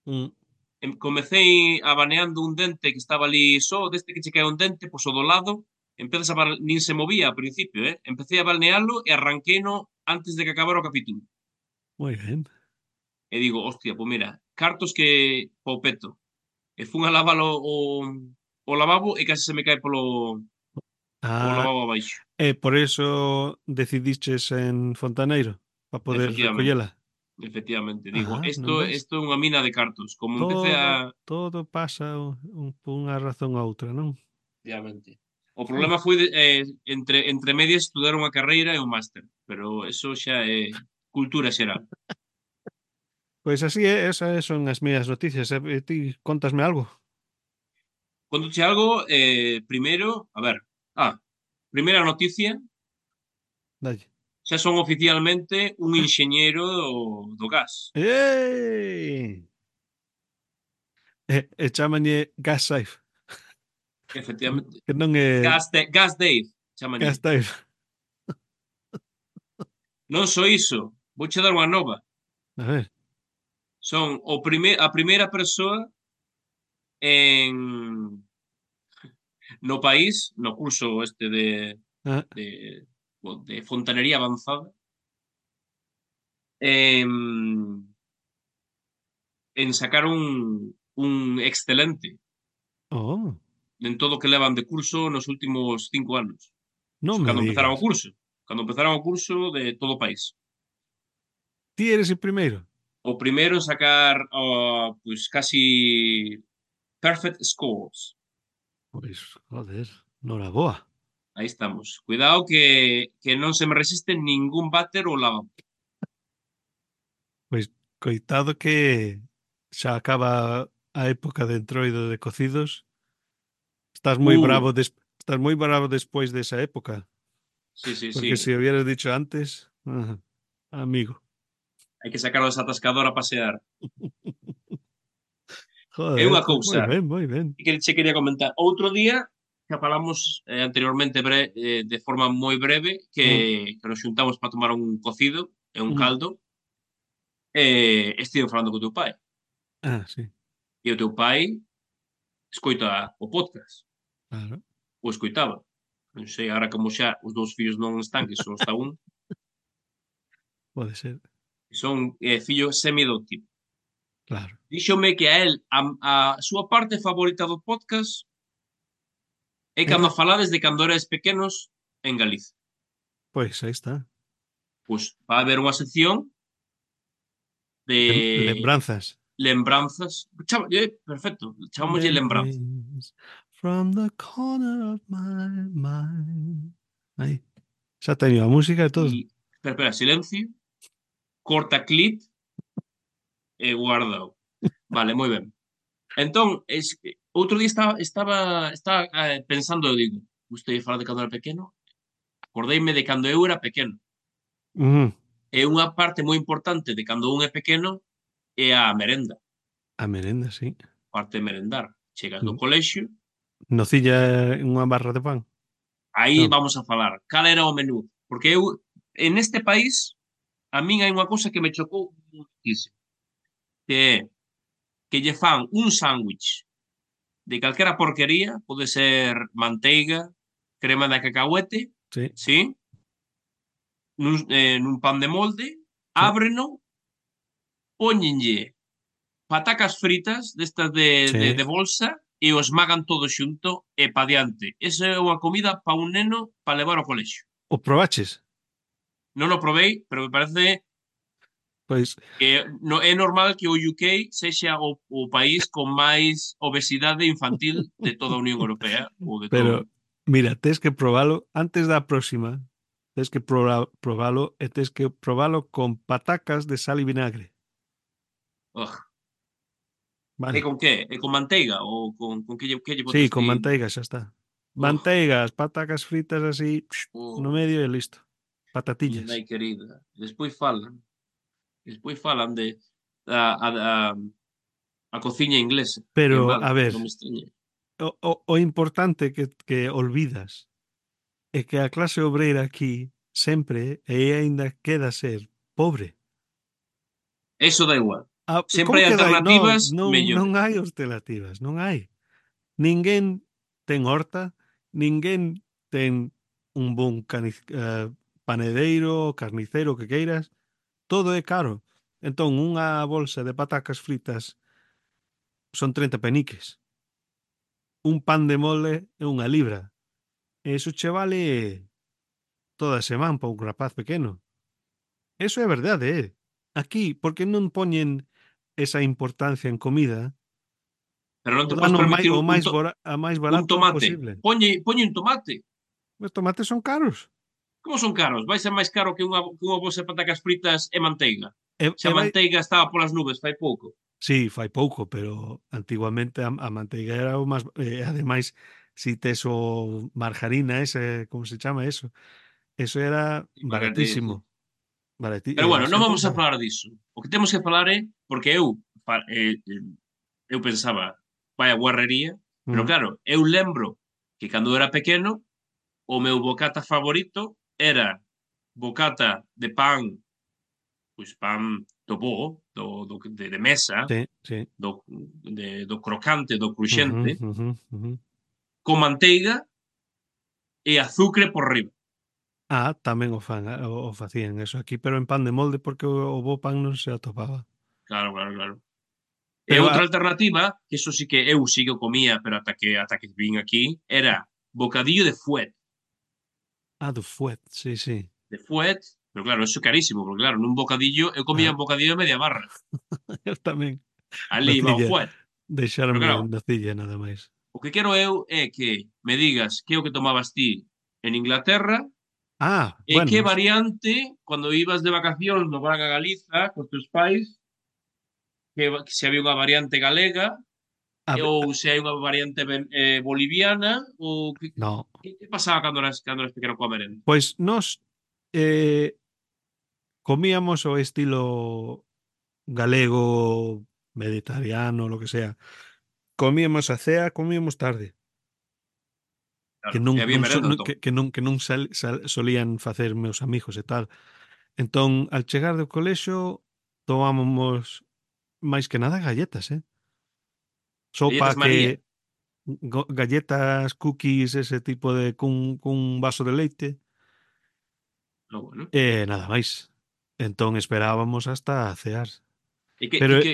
mm. em- comecei abaneando un dente que estaba ali só, deste que che cae un dente, pois o do lado, empezas a bar... nin se movía ao principio, eh? Empecé a balnealo e arranqueino antes de que acabara o capítulo. Moi ben. E digo, hostia, pois mira, cartos que po peto. E fun a lavalo o, o lavabo e case se me cae polo o Ah, lavabo abaixo. e por eso decidiches en Fontaneiro, para poder Efectivamente, recollela. efectivamente. Digo, Ah, isto non ves? isto é unha mina de cartos. Como empecé Todo a todo pasa un un por unha razón ou outra, non? efectivamente. O Oh, problema foi de, eh, entre entre medias estudar unha carreira e un máster, pero eso xa é cultura xeral. pois así é, esas son as miñas noticias. E e ti cóntasme algo? Contoche algo, eh, primeiro, a ver, ah, primeira noticia, Dalle. xa son oficialmente un enxeñeiro do, do gas. ¡Ei! E e chámanlle Gas Safe, que Efectivamente. que non é Gas, de, gas Dave, Gas chamanlle. Safe. Non só iso, vouche dar unha nova. A ver. Son o prime, a primeira persoa en no país, no curso este de Ah, de, de fontanería avanzada, en, en sacar un, un excelente oh, en todo o que levan de curso nos últimos cinco anos. non me Cando empezaron o digas. curso. Cando empezaron o curso de todo o país. Ti eres o primeiro? O primeiro en sacar oh, pois casi perfect scores. Pois, joder, noraboa. Aí estamos. Cuidado que, que non se me resiste ningún váter ou lavabo. Pois, coitado que xa acaba a época de entroido de cocidos. Estás moi Uh, bravo des estás moi bravo despois desa época, sí, sí, porque sí. se o hubieras dicho antes, ajá, amigo. Hai que sacar esa atascadora a pasear. É Joder, unha pois moi cousa ben, moi ben. que che quería comentar. Outro día, que falamos eh, anteriormente bre, eh, de forma moi breve, que, Mm, que nos xuntamos para tomar un cocido e un mm. caldo, e estive falando co teu pai. Ah, sí, E o teu pai escoita o podcast, claro, ou escoitaba. Non sei, agora como xa os dous fillos non están, que só está un, pode ser, son eh, fillo semi-adoptivo. claro. Díxome que a él, a, a súa parte favorita do podcast é Era? cando falades de cando erais pequenos en Galicia. Pois aí está. Pois vai haber unha sección Lem de lembranzas. lembranzas. Chama, eh, perfecto, chamámoslle lembranzas. Memories from the corner of my mind. Aí, xa teño a música e todo. E, espera, espera, silencio, corta clip e guardao. Vale, moi ben. Entón, es, outro día estaba, estaba, estaba eh, pensando, eu digo, gostei de falar de cando era pequeno, acordeime de cando eu era pequeno. Ujú. E unha parte moi importante de cando un é pequeno é a merenda, A merenda, sí. parte de merendar. Chegas do Mm. colexio, Nocilla unha barra de pan? aí Non. vamos a falar cal era o menú, porque eu en este país a min hai unha cousa que me chocou muitísimo, que é que lle fan un sándwich de calquera porquería, pode ser manteiga, crema de cacahuete, Sí, sí, nun, eh, nun pan de molde, sí, ábreno, póñenlle patacas fritas destas de, de, sí. de bolsa e o esmagan todo xunto e pa diante. Esa é unha comida pa un neno para levar ao colexio. O probaches? Non o probei, pero me parece Pois, que no, é normal que o U K sexa o, o país con máis obesidade infantil de toda a Unión Europea ou de todo. pero mira, tes que probalo antes da próxima. Tes que proba, probalo e tes que probalo con patacas de sal e vinagre. Ugh. É Vale. con que? É con manteiga ou con, con que, lle, que lle Sí, botas con ti? manteiga xa está. Ugh. Manteigas, patacas fritas así no Oh, medio e listo. miña Patatillas. nai querida. Despois falan, despois falan de a, a, a, a cociña inglesa, que é Pero, mala, a que ver, non me extraña. o, o, o importante que, que olvidas é que a clase obreira aquí sempre e aínda queda ser pobre. Eso da igual. Ah, Sempre como hai que dai? Non, alternativas non, non mellores. hai alternativas, non hai. Ninguén ten horta, ninguén ten un bon cani, eh, panadeiro, carnicero, o que queiras, todo é caro. Entón, unha bolsa de patacas fritas son treinta peniques. Un pan de mole é unha libra. E iso che vale toda a semana para un rapaz pequeno. Eso é verdade, eh? Aquí, porque non poñen esa importancia en comida, Pero non o te podes dan o máis, permitir o un, máis, to, bora, a máis un barato tomate. posible. Poñe, poñe un tomate. Os tomates son caros. Como son caros? Vai ser máis caro que unha, que unha bolsa de patacas fritas e manteiga. E, Se e a vai... manteiga estaba polas nubes fai pouco. Sí, fai pouco, pero antiguamente a, a manteiga era o máis... Eh, ademais, si tes o margarina, ese, como se chama eso? Eso era Margarita, baratísimo. sí. Barati, Pero eh, a bueno, non xente vamos a usaba. falar disso. O que temos que falar é, porque eu, fa- eh, eh, eu pensaba, vai a guarrería, pero Mm, claro, eu lembro que cando era pequeno, o meu bocata favorito era bocata de pan, pois pan do bo, do, do, de, de mesa, sí, sí. do, de, do crocante, do cruxente, Ujú, ujú, ujú. con manteiga e azucre por riba. Ah, tamén o fan, ah, o, o facían eso aquí, pero en pan de molde porque o, o bo pan non se atopaba. Claro, claro, claro. E Pero outra a, alternativa, que eso sí que eu sí que o comía, pero ata que, ata que vin aquí, era bocadillo de fuet. a do fuet, sí, sí. De fuet, pero claro, eso é carísimo, porque claro, nun bocadillo, eu comía Ah, un bocadillo de media barra. eu tamén. Ali va o Nocilla, fuet. Pero deixarme claro, nocilla nada máis. o que quero eu é que me digas que é o que tomabas ti en Inglaterra Ah, e que bueno, variante, cando ibas de vacacións no Braga Galiza cos teus pais, que, que se había unha variante galega a, ve- ou a- se hai unha variante eh, boliviana ou que, no, que, que pasaba cando eras, cando eras pequeno coa merenda? pois nós eh, comíamos o estilo galego, mediterráneo, lo que sea. Comíamos a cea, comíamos tarde, que Claro, non, e había non, so, merenda non- entón. que, que non, que non sal, sal, solían facer meus amigos e tal. Entón, al chegar do colexo, tomábamos máis que nada galletas, eh? Sopa Galletas María. que go- galletas, cookies, ese tipo de cun, cun vaso de leite No, bueno. e nada máis. Entón esperábamos hasta cear. E que, Pero que, que,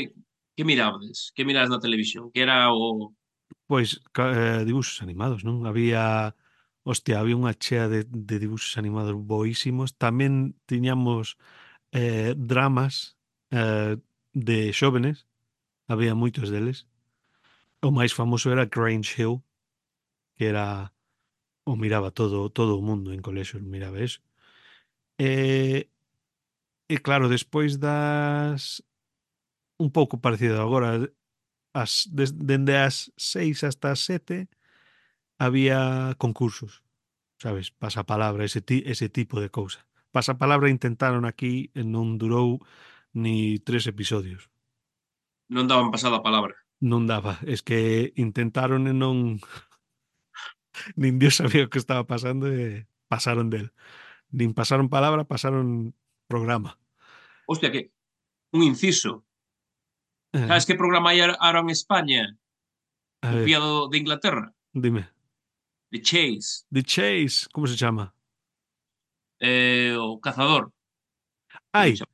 que mirabades? Que mirabas na televisión? Que era o... pois ca- eh, dibuxos animados, non? Había, hostia, había unha chea de, de dibuxos animados boísimos. Tamén tiñamos eh, dramas eh, de xóvenes, había moitos deles. O máis famoso era Grange Hill, que era o miraba todo todo o mundo en colexios, miraba eso. E, e claro, despois das un pouco parecido agora, as des, dende as seis hasta as sete había concursos, sabes? Pasapalabra, ese ti, ese tipo de cousa. Pasapalabra intentaron aquí e non durou ni tres episodios. Non daban pasada a palabra. Non daba, es que intentaron e non nin Dios sabía o que estaba pasando e pasaron del. Nin pasaron palabra, pasaron programa. Hostia, que un inciso. Eh, Sabes que programa hai ahora en España a ver, copiado de Inglaterra? dime. De Chase. The Chase, como se chama? Eh, o Cazador. Creo que Ai, chama.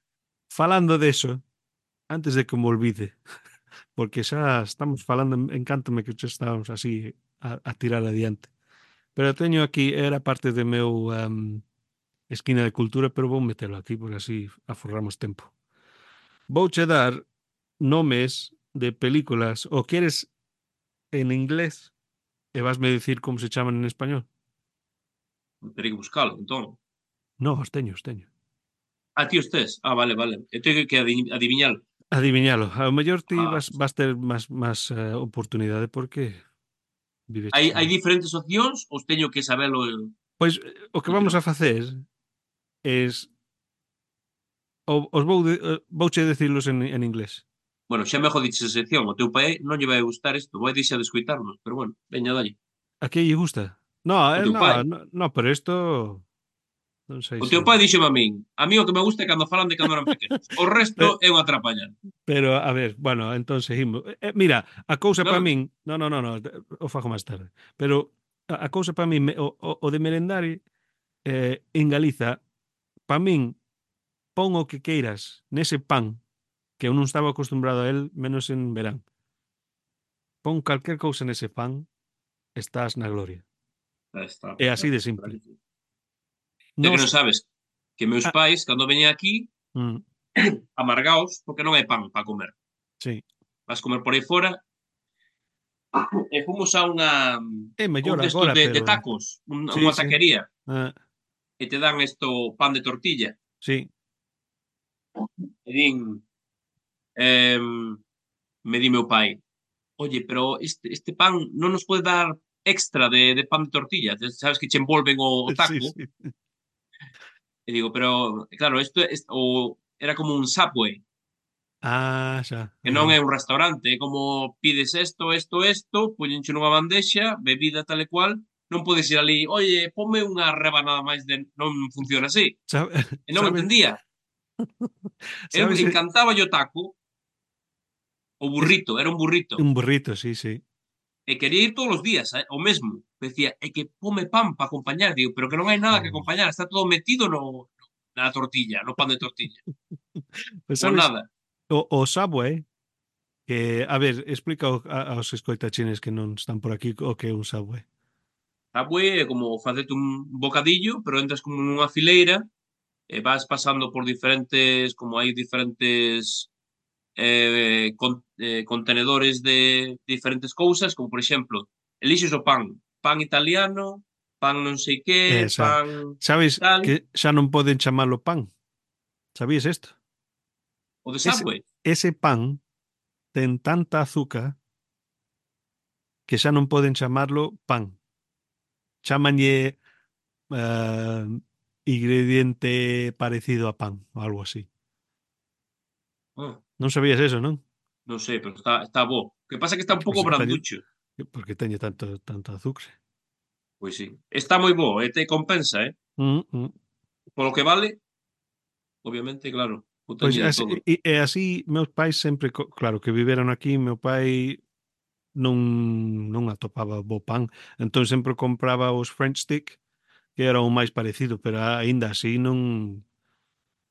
falando de eso, antes de que me olvide, porque xa estamos falando, encántame que xa estamos así a, a tirar adiante. Pero teño aquí, era parte de meu um, esquina de cultura, pero vou metelo aquí, porque así aforramos tempo. Vouche dar nomes de películas, o queres en inglés e vasme dicir como se chaman en español? Terei que buscalo, entón. No, os teño, os teño. Ah, ti os tes? Ah, vale, vale. Eu teño que adi- adiviñalo. Adiviñalo. Ao mellor ti Ah, vas, vas ter máis, máis uh, oportunidade porque hai, viveches hai aí. diferentes opcións ou teño que sabelo eu Pois eh, o que do vamos tirón? a facer es o- os vou de, eh, vouche dicilos en, en inglés. Bueno, xa me jodiches a sección. O teu pai non lle vai gustar isto. Vai deixar de escoitarnos. Pero bueno, veña, dalle. A que lle gusta? No, O eh, teu pai. no, no, no, pero isto Non sei O se... teu pai dixeme a min, a mí o que me gusta é cando falan de cando eran pequenos. O resto Pe- é unha atrapallada. Pero, a ver, bueno, entón seguimos. Eh, eh, mira, a cousa para Non, min... No, no, no, no, te- o fago máis tarde. Pero a, a cousa para min, me- o, o, o de merendar eh, en Galiza, para min, pon o que queiras nese pan, que eu non estaba acostumbrado a él, menos en verán. Pon calquer cousa nese pan, estás na gloria. ah, está, É así está, de está simple. que sí. É que Nos... non sabes que meus Ah, pais, cando veñen aquí, mm, amargaos, porque non hai pan para comer. sí. Vas comer por aí fora, e fomos a unha É a un mellor destos agora, de, de pero... tacos, un, Sí, unha sí. taquería, Ah, e te dan isto pan de tortilla. sí. E din, eh, me di meu pai, oye, pero este, este pan non nos pode dar extra de, de pan de tortilla. Sabes que che envolven o, o Sí, taco. sí. E digo, pero, claro, isto, isto o, era como un Subway, Ah, xa. que non Ah, é un restaurante, é como pides isto, isto, isto, poñenche nunha bandexa, bebida tal e cual, non podes ir ali, oye, ponme unha rebanada máis de... Non funciona así. sabe- E non ¿Sabes? entendía. Eu ¿Sabes? Eh, encantaba o taco, o Es burrito, era un burrito. un burrito, sí, sí. E quería ir todos os días, eh, o mesmo. Decía, é que pome pan para acompañar. Digo, pero que non hai nada que Oh. acompañar, está todo metido no, na tortilla, no pan de tortilla. Pues Pois sabes, nada. o, o Subway, que, a ver, explica ao- a- aos escoitachines que non están por aquí o que é un Subway. Subway é como facerte un bocadillo, pero entras como nunha fileira e vas pasando por diferentes, como hai diferentes eh, con, eh, contenedores de diferentes cousas, como por exemplo, elixes o pan, pan italiano, pan non sei que, Eh, xa, pan sabes tal, que xa non poden chamalo pan? Sabías isto? o de Ese, Subway. ese pan ten tanta azúcar que xa non poden chamarlo pan. Chámanlle eh, ingrediente parecido a pan, ou algo así. Ah, Non sabías eso, non? non sei, pero está, está bo. O que pasa é que está un Pois pouco eu teño, branducho. porque teñe tanto, tanto azúcar. Pois sí. Está moi bo, e te compensa, eh? Mm, mm. Polo que vale, obviamente, claro, o Pois teño de así, todo. e, e así meus pais sempre, co- claro, que viveron aquí, meu pai non non atopaba bo pan, entón sempre compraba os French stick, que era o máis parecido, pero aínda así non...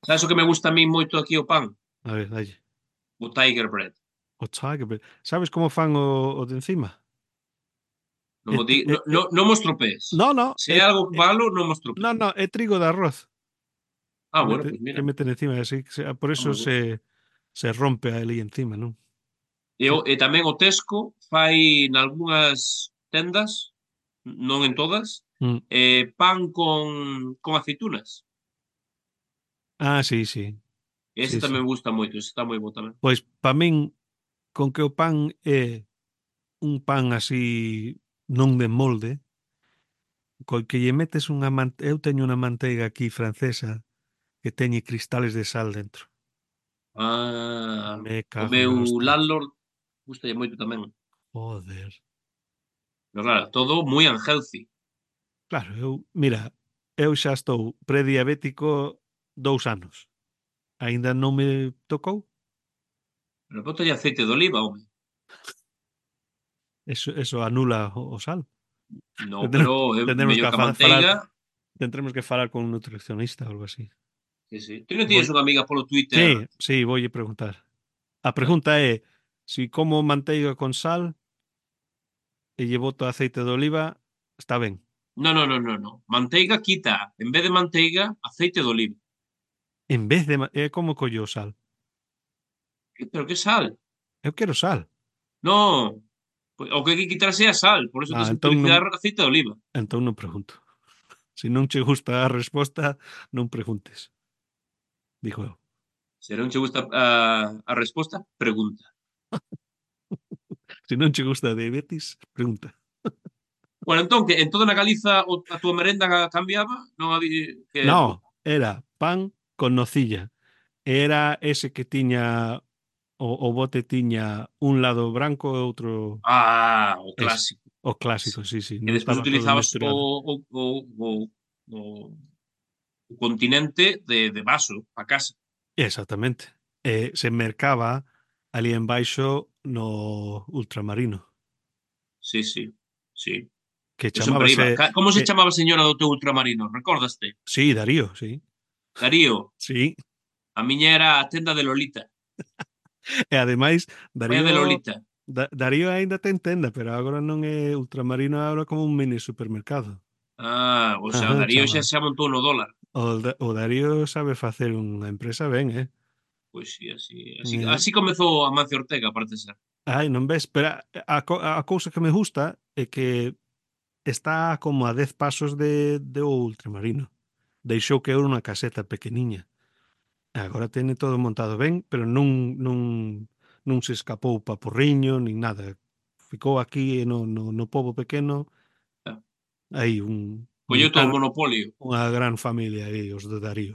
Sabes o que me gusta a min moito aquí o pan? A ver, dalle. O Tiger Bread. O Tiger Bread. Sabes como fan o, o de encima? Non É, mo di, tri- no, é- no, é- non mo estropees. no, no, Se é é, algo é- malo, non mo no, estropees. no, é trigo de arroz Ah, que bueno, mete, pois que mira, meten encima, así que se- por está eso moi bo. se, se rompe ali encima, non? E, Sí. o, e tamén o Tesco fai nalgúnas tendas, non en todas, Mm. eh, pan con, con aceitunas. Ah, sí, sí, E ese sí, tamén sí. me gusta moito, ese está moi bo tamén. Pois para min, con que o pan é un pan así non de molde, co que lle metes unha man... eu teño unha manteiga aquí francesa que teñe cristales de sal dentro. Ah, Me o cago meu na hostia. landlord gustalle moito tamén. Joder. Pero claro, todo moi unhealthy. Claro, eu, mira, eu xa estou prediabético dous anos. Aínda non me tocou. Pero bótalle aceite de oliva, home. Eso, eso anula o, o sal. Non, pero Tendremos, é tendremos mellor que que a fa- falar, manteiga. tendremos que falar con un nutricionista ou algo así. Sí, sí. Ti non Voy, tienes unha amiga polo Twitter? sí, sí, voy a preguntar. A Eh? pregunta é, si como manteiga con sal e lle boto aceite de oliva, está ben. Non, non, non, non, non. Manteiga quita. En vez de manteiga, aceite de oliva. En vez de... ma- É como collo o sal. Que- Pero que sal? Eu quero sal. Non. Pois o que hai que quitarse é a sal. Por eso Ah, tens que entón non, utilizar aceite de oliva. entón non pregunto. Se non che gusta a resposta, non preguntes. Dijo eu. Se non che gusta a, a resposta, pregunta. Se non che gusta a diabetes, pregunta. Bueno, entón, que en toda na Galiza o, a túa merenda cambiaba? Non había... Que, No, era pan con nocilla. Era ese que tiña o, o bote tiña un lado branco e outro ah, o ese. clásico. O clásico, sí, sí. Que Non despois estaba todo utilizabas o, mesturado. o, o, o, o o continente de, de vaso a casa. Exactamente. E se mercaba ali embaixo no ultramarino, Sí, sí, sí. que Eu sempre iba. chamábase... Ca- Como se eh, chamaba a señora do teu ultramarino? Recordaste? sí, Darío, sí. Darío. Sí. A miña era a tenda de Lolita. E ademais, Vai a de Darío... Lolita. Da, Darío aínda ten tenda, pero agora non é ultramarino, é agora como un mini supermercado. Ah, o sea, o Ajá, Darío xa chaval. se montou no dólar. O, Da- o Darío sabe facer unha empresa ben, eh? Pois sí, así, así, Eh, así comezou Amancio Ortega, parece ser. Ai, non ves? Pero a, a, co- a cousa que me gusta é que está como a dez pasos de, de o ultramarino. Deixou que era unha caseta pequeniña. Agora tene todo montado ben, pero non, non, non se escapou pa Porriño, nin nada. Ficou aquí no, no, no pobo pequeno, Ah, aí un, un colleu todo gran, o monopolio, unha gran familia aí, os de Darío.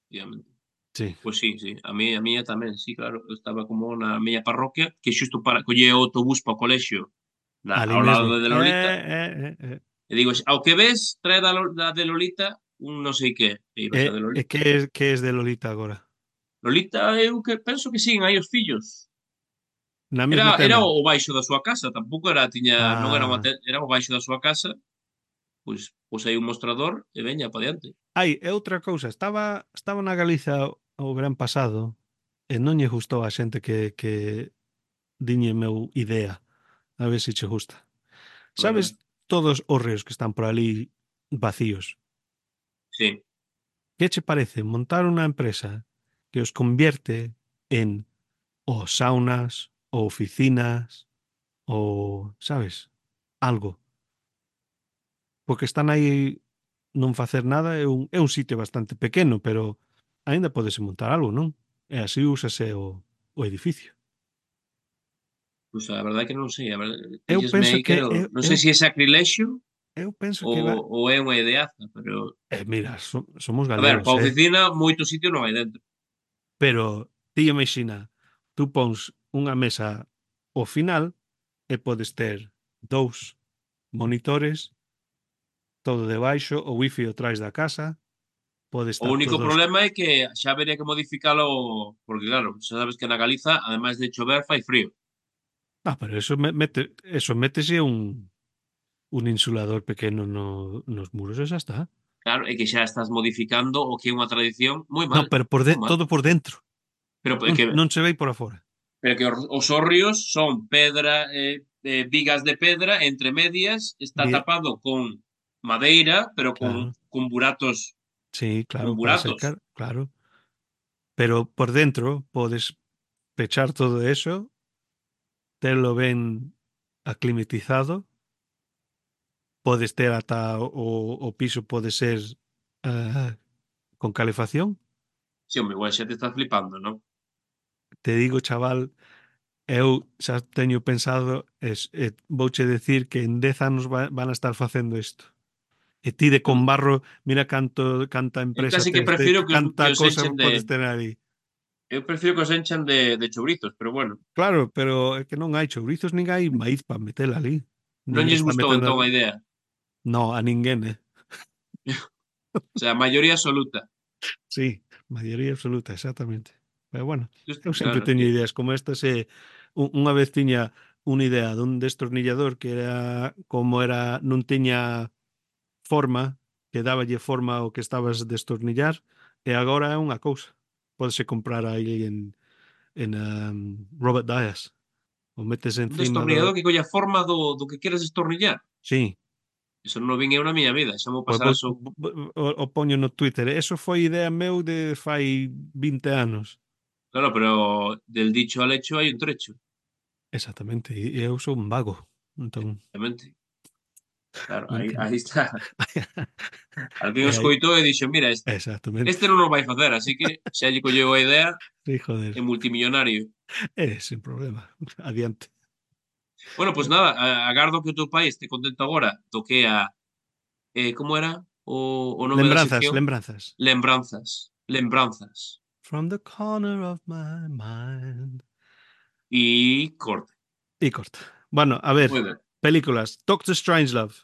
obviamente. Sí. Pois sí, sí, a mí a miña tamén, sí, claro, eu estaba como na miña parroquia, que xusto para coller o autobús para o colexio, na, Ali ao lado mesmo. de Lolita, Eh, eh, eh, eh. e digo, ao que ves, trae da, Lo- da de Lolita un non sei que, e ibas E, a de e Lolita. que es, que es de Lolita agora? Lolita, eu que penso que siguen aí os fillos. Na Era mesma era tenda? o baixo da súa casa, tampouco era tiña non era unha Ah, te era o baixo da súa casa, pois pois aí un mostrador e veña para diante. ai, é outra cousa. Estaba, estaba na Galiza o, o verán pasado e non lle gustou a xente que, que diñe meu idea. A ver se che gusta. A Sabes ver, todos os ríos que están por ali vacíos? sí. Que che parece montar unha empresa que os convierte en ou saunas, ou oficinas, ou, sabes, algo? Porque están aí non facer nada, é un, é un sitio bastante pequeno, pero aínda podese montar algo, non? E así úsase o, o edificio. Pois a verdade é que non sei, a verdade, Eu píllesme penso aí que quero eu, non sei eu, se é sacrilexio eu penso que ou va... ou é unha ideaza, pero Eh, mira, so, somos a ver, galegos, para a eh? oficina moito sitio non hai dentro. Pero ti imagina, tú pons unha mesa ao final e podes ter dous monitores, todo debaixo, o wifi o traes da casa, pode O estar único todos... problema é que xa habería que modificalo porque claro, xa sabes que na Galiza, ademais de chover, fai frío. Ah, pero eso me- mete, eso métese un, un insulador pequeno no, nos muros e xa está. Claro, é que xa estás modificando o que é unha tradición moi No, mal, pero por de, moi mal. todo por dentro. Pero é Non, que non se ve por afora. pero que os os hórreos son pedra, eh, eh, vigas de pedra, entre medias está Mira, tapado con madeira, pero con claro, con buratos sí, con claro, para buratos. secar, claro. Pero por dentro podes pechar todo eso, telo ben aclimatizado, podes ter ata o, o piso pode ser ah, con calefacción. Si, home, igual xa te estás flipando, non? Te digo, chaval, eu xa teño pensado, es, eh, vouche decir que en dez anos va, van a estar facendo isto. E ti de Eu con barro, mira canto, canta eu empresa case que tes, de, prefiro que os canta que os cosa enchen de podes ter aí. eu prefiro que os enchan de de chourizos, pero bueno, Claro, pero é que non hai chourizos nin hai maíz para meter ali. non Ninguén lles está gustou metendo... entón a idea. No, a ninguén, eh? O sea, a maioría absoluta. Sí, maioría absoluta, exactamente. Pero bueno, Just eu sempre claro, es teño que ideas como estas e un- unha vez tiña unha idea dun destornillador que era como era non tiña forma, que dáballe forma ao que estabas destornillar e agora é unha cousa. Pódese comprar aí en en um, Robert Dias. O metes un encima destornillador do... que colla a forma do do que queres destornillar. Sí, Eso non o vin eu na miña vida, xa mo pois pasara vou, eso. vou- o, o poño no Twitter. Eso foi idea meu de fai vinte anos. Claro, pero del dicho al hecho hai un trecho, Exactamente, e e eu sou un vago. Entón, exactamente. Claro, non aí ten... aí está. Alguén E o aí, escoitou e dixo: "Mira, este exactamente. este non o vai facer", así que xa lle colleu a idea Sí, joder. e multimillonario. É, sen problema. Adiante. Bueno, pois nada, a agardo que o teu pai este contento agora do que é a eh, como era o o nome da Lembranzas, sección? lembranzas. Lembranzas, lembranzas. From the corner of my mind. E corta. E corta. Bueno, a ver, Moi ben. películas. Doctor Strangelove.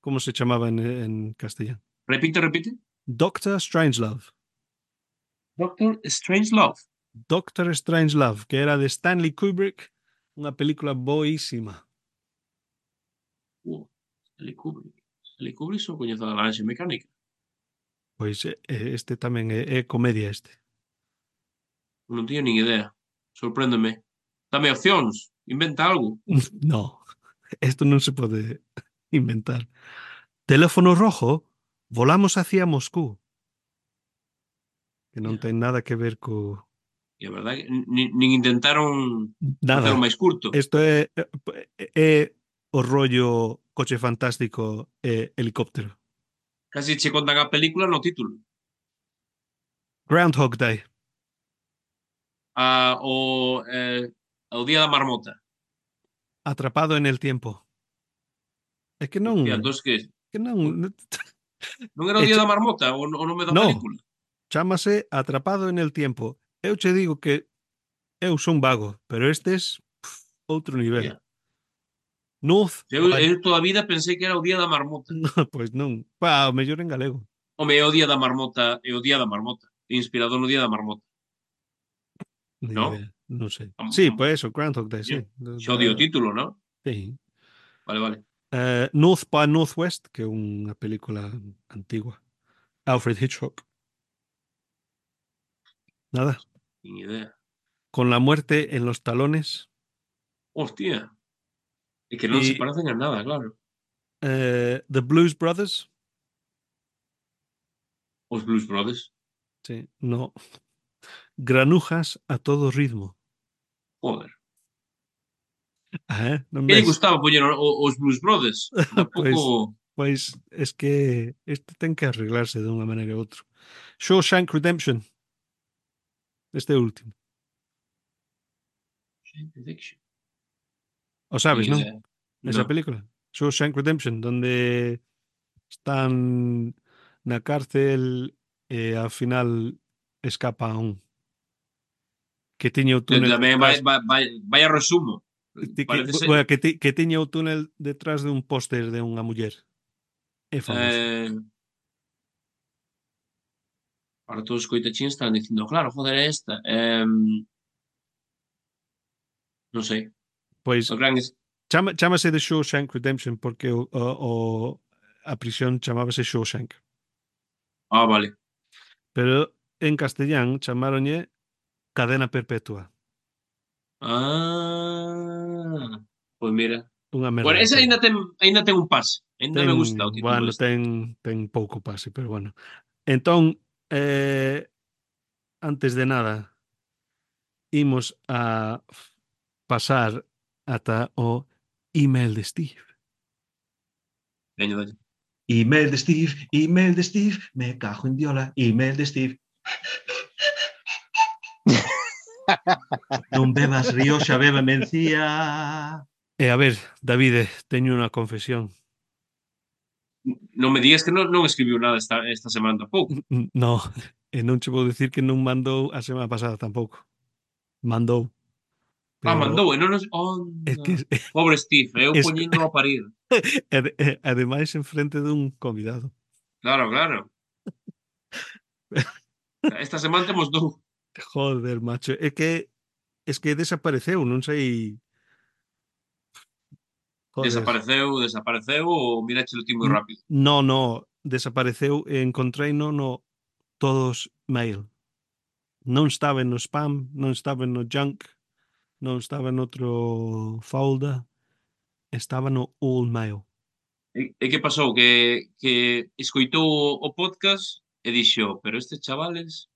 Como se chamaba en, en castellano? Repite, repite. Doctor Strangelove. Doctor Strangelove. Doctor Strangelove, que era de Stanley Kubrick, unha película boísima. Uh, Stanley Kubrick. Stanley Kubrick só coñezo a Naranja Mecánica. Pois eh, este tamén é, é comedia este. Non teño nin idea. Sorpréndeme. Dame opcións. Inventa algo. No, esto non se pode inventar. Teléfono rojo, volamos hacia Moscú. Que non Yeah. ten nada que ver co... E a verdade que nin, nin intentaron Nada. facelo máis curto. Isto é, é, é o rollo Coche Fantástico e helicóptero. Casi che contan a película no título. Groundhog Day. A, o, eh, o Día da Marmota. Atrapado en el tiempo. É que non... Hostia, entón que... Que non... Non era o Día Eche... da Marmota o, o nome da No, película? chámase Atrapado en el tiempo. Eu che digo que eu son vago, pero estes pff, outro nivel. Hostia. North Eu, by... eu toda a vida pensei que era o Día da Marmota. No, pois non. Pa, o mellor en galego. Home, é o Día da Marmota, é o Día da Marmota. Inspirado no Día da Marmota. Ni No? idea, non sei. Am, Sí, am, pois eso, Groundhog Day, coño, sí. Da, xa o di o da- título, no? sí. Vale, vale. Uh, North by Northwest, que é unha película antigua. Alfred Hitchcock. Nada. Nin idea. Con la muerte en los talones. Hostia. É que non se Y parecen a nada, claro. uh, The Blues Brothers. Os Blues Brothers. Sí, no. Granujas a todo ritmo. Joder. Ajá, non Que lle ves? gustaba poñer o, o, os Blues Brothers? Tampouco... Pois, pois es que este ten que arreglarse de unha maneira ou outra. Shawshank Redemption. Este último. O Nin sabes, non? idea. Esa No. película. Shawshank Redemption, donde están na cárcel e ao final escapa un que tiña o túnel Tamén vai, detrás vai, vai, vai a resumo. ti- que, Parece ser... bueno, que, ti- que tiña o túnel detrás de un póster de unha muller. É famoso. Eh, para todos os coitachíns están dicindo, claro, joder, é esta. Eh, non sei. Pois O gran es... chama, chámase The Shawshank Redemption porque o, o, o a prisión chamábase Shawshank. Ah, vale. Pero en castellán chamaronlle Cadena Perpetua. Ah, pois mira. Unha merda Bueno, de ese peli. aínda ten, aínda ten un pase. Aínda Ten, me gusta o título bueno, este. ten, ten pouco pase, pero bueno. Entón, eh, antes de nada, imos a pasar ata o email de Steve. Veño, dalle. Email de Steve, email de Steve, me cajo en diola, email de Steve. Non bebas Rioxa, beba mencía. E a ver, Davide, teño unha confesión. Non me digas que non, non escribiu nada esta, esta semana tampouco. No, e non che vou dicir que non mandou a semana pasada tampouco. Mandou. Ah, Pero mandou, e non nos... é Onda. que Pobre Steve, eu es, poñindo a parir. ade- e- ademais en frente dun convidado. Claro, claro. Esta semana temos dous. Joder, macho, é que es que desapareceu, non sei. Joder. Desapareceu, desapareceu ou mirache o ti moi N- rápido? No, no, desapareceu e encontrei no no todos mail. Non estaba no spam, non estaba no junk, non estaba no outro folder, estaba no all mail. E, e que pasou? Que, que escoitou o podcast e dixo, pero estes chavales,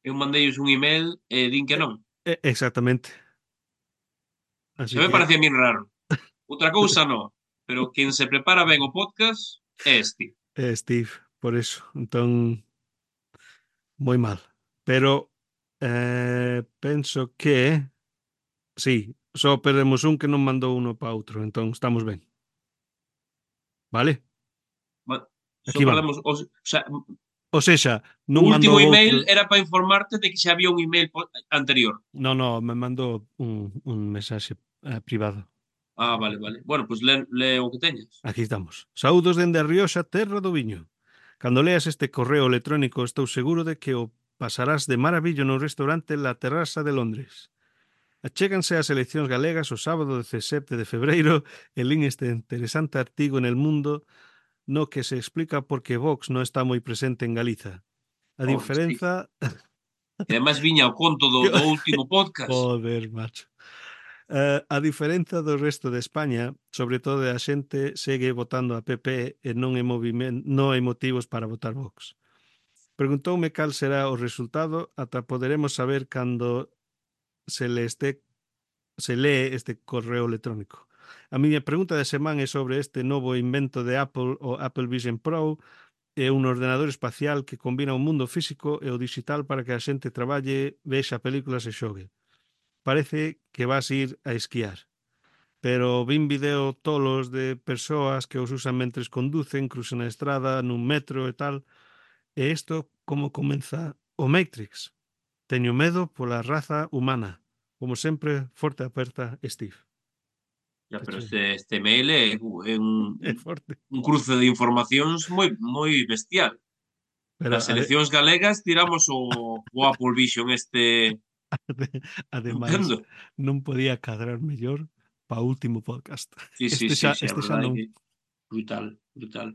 eu mandeilles un email e din que non. E- Exactamente. Así Xa me que parecía a min raro. Outra cousa non, pero quen se prepara ben o podcast é este. eh, Steve, por eso. Entón, moi mal. Pero eh, penso que sí, só perdemos un que non mandou uno para outro, entón estamos ben. Vale? Ma- Só Aquí vamos. perdemos... O, o sea, O sexa, o non último mandou email outro. era para informarte de que xa había un email po- anterior. No, no, me mandou un, un mensaxe eh, privado. Ah, vale, vale. Bueno, pois pues le, le o que teñas. Aquí estamos. Saúdos dende a Rioxa, terra do viño. Cando leas este correo electrónico estou seguro de que o pasarás de maravillo no restaurante La Terraza de Londres. Achéganse as eleccións galegas o sábado dezasete de febreiro e lín este interesante artigo en El Mundo no que se explica por que Vox non está moi presente en Galiza. A Oh, Steve. diferenza... E ademais viña o conto do, do último podcast. Joder, macho. Uh, a diferenza do resto de España, sobre todo a xente segue votando a P P e non hai, moviment, non hai motivos para votar Vox. Preguntoume cal será o resultado ata poderemos saber cando se le este se lee este correo electrónico. A miña pregunta de semana é sobre este novo invento de Apple, o Apple Vision Pro, é un ordenador espacial que combina o mundo físico e o digital para que a xente traballe, vexa películas e xogue. Parece que vas ir a esquiar, pero vin video tolos de persoas que os usan mentres conducen, cruzan a estrada, nun metro e tal, e isto como comeza o Matrix. Teño medo pola raza humana. Como sempre, forte aperta, Steve. Ya, Que pero che- este, este mail é, é un, É forte. un cruce de informacións moi moi bestial. Pero Das ade, eleccións galegas tiramos o, o Apple Vision este ade, ademais, estupendo. non podía cadrar mellor pa último podcast. Sí, sí, Este sí, xa, sí, a este xa verdade é non. que brutal, brutal.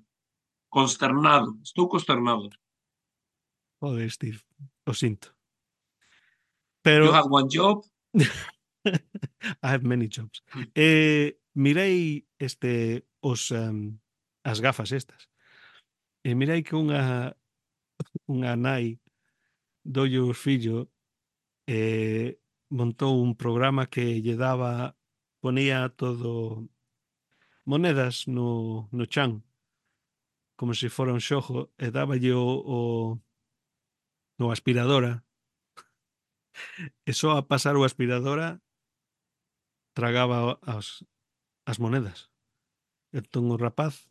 Consternado, estou consternado. Joder, Steve, o sinto. You Pero had one job. I have many jobs. Eh, mirei este os um, as gafas estas. E mirei que unha unha nai dolle o fillo eh, montou un programa que lle daba ponía todo monedas no, no chan como se fora un xogo e dáballe o, o, o aspiradora e só a pasar o aspiradora tragaba as, as monedas. Entón o rapaz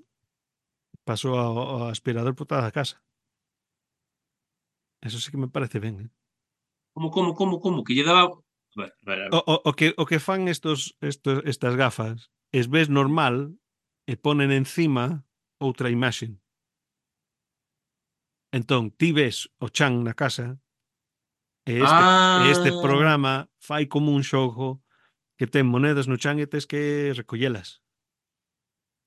pasou ao, ao aspirador por toda a casa. Eso sí que me parece ben, eh? Como, como, como, como? Que lle daba... A ver, a ver, a O, ver. o, o, que, o que fan estos, estos, estas gafas es ves normal e ponen encima outra imaxe. Entón, ti ves o chan na casa e este, e este Ah, programa fai como un xogo que ten monedas no chan e tes que recollelas.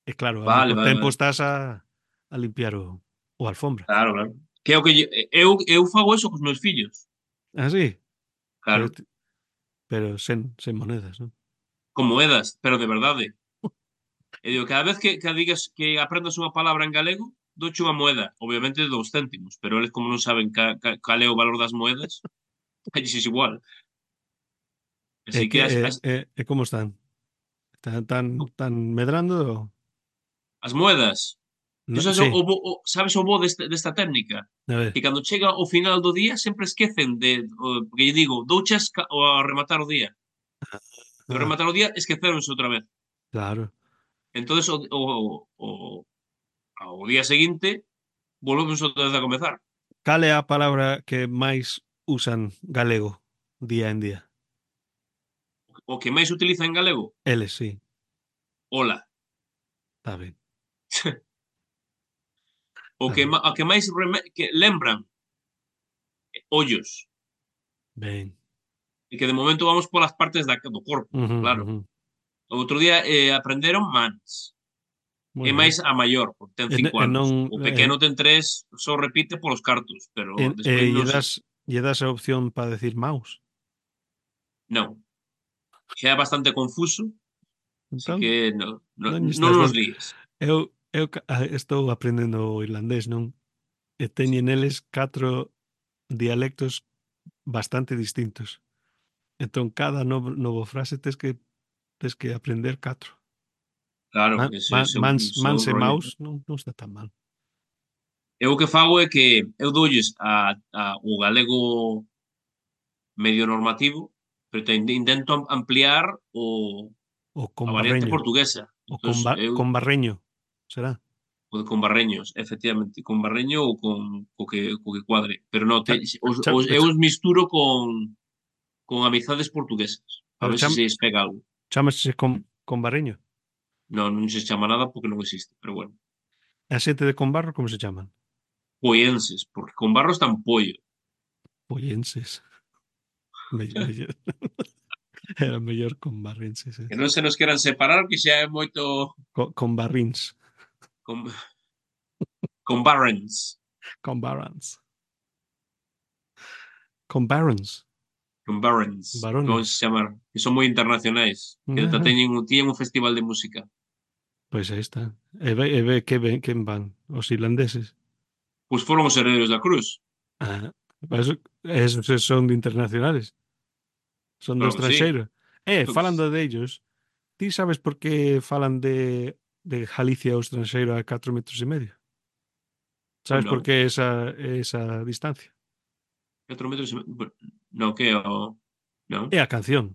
E claro, ao vale, mesmo vale, tempo vale. estás a, a limpiar o, o alfombra. Claro, claro. Que é o que lle- eu, eu fago eso cos meus fillos. Así, pero, Claro, ti- pero sen, sen monedas, non? con moedas, pero de verdade. E digo, cada vez que, que digas que aprendas unha palabra en galego, douche unha moeda, obviamente de dous céntimos, pero eles como non saben ca, ca, cal é o valor das moedas, aí é igual. E, Así que que, as, e, as, e, e como están? Están tan, tan medrando? as moedas, tú No, sabes o, sí, o, bo- o, sabes o bo desta, desta técnica? a Que ver. cando chega o final do día sempre esquecen de, o, porque lle digo, douches ca- o a rematar o día. E ao Ah, rematar o día esqueceronse outra vez. claro. Entonces o, o, o, ao día seguinte volvemos outra vez a comezar. Cal é a palabra que máis usan galego día en día? O que máis se utiliza en galego, Eles, sí, hola. está ben, O está que, ben. ma- a que máis reme, que lembran, ollos. Ben. E que de momento vamos polas partes da, do corpo, Ujú, claro. ujú. O outro día eh, aprenderon mans. Moi E ben. máis a maior, porque ten E, cinco e anos. non O e, pequeno ten tres, só repite polos cartos, pero e, e despois lle non sei. das lle das a opción para decir mouse. Non. Xa é bastante confuso, así Entón, que non, non, non lle non estás nos dando. líes. Eu eu ca- ah, estou aprendendo o irlandés, non? E teñen eles catro dialectos bastante distintos. Entón, cada novo, novo frase tes que tes que aprender catro. Claro, Man, ese, man, ese, mans, ese é un mans e rollo. mouse non, non está tan mal. Eu o que fago é que eu doulles a, a, o galego medio normativo, pero te, intento ampliar o, O a con variante barreño. portuguesa. O Entón, con, ba, eu, con barreño. Será? o de con barreños, efectivamente, con barreño ou con co que, co que cuadre. Pero non, te, Cha, os, cha, os, eu cha, os misturo con, con amizades portuguesas, para pero ver se cham, se despega algo. chámase con, con barreño. Non, non se chama nada porque non existe, pero bueno. E a xente de con barro como se chaman? poienses, porque con barro están pollo. Pollenses. Me- mellor- Era mellor con barrenses. eh. Que non se nos queran separar, que xa é moito Co- Con, barrins. con, con barrens, Con barons. Con barons. con barrens, como se Varones. chamar, que son moi internacionais, que ata Ajá. teñen, un- tiñen un festival de música. Pois aí está. E ve, e ve que ven, quen van? Os irlandeses. Pois foron os herdeiros da cruz, Ah, eso, esos son de internacionales. Son do claro que sí. estranxeiro. Eh, Pois, falando de ellos, ti sabes por que falan de, de Galicia ao estranxeiro a catro metros e medio? pois Sabes por non, que esa, esa distancia? catro metros, e me- non, que é o... Non? É a canción.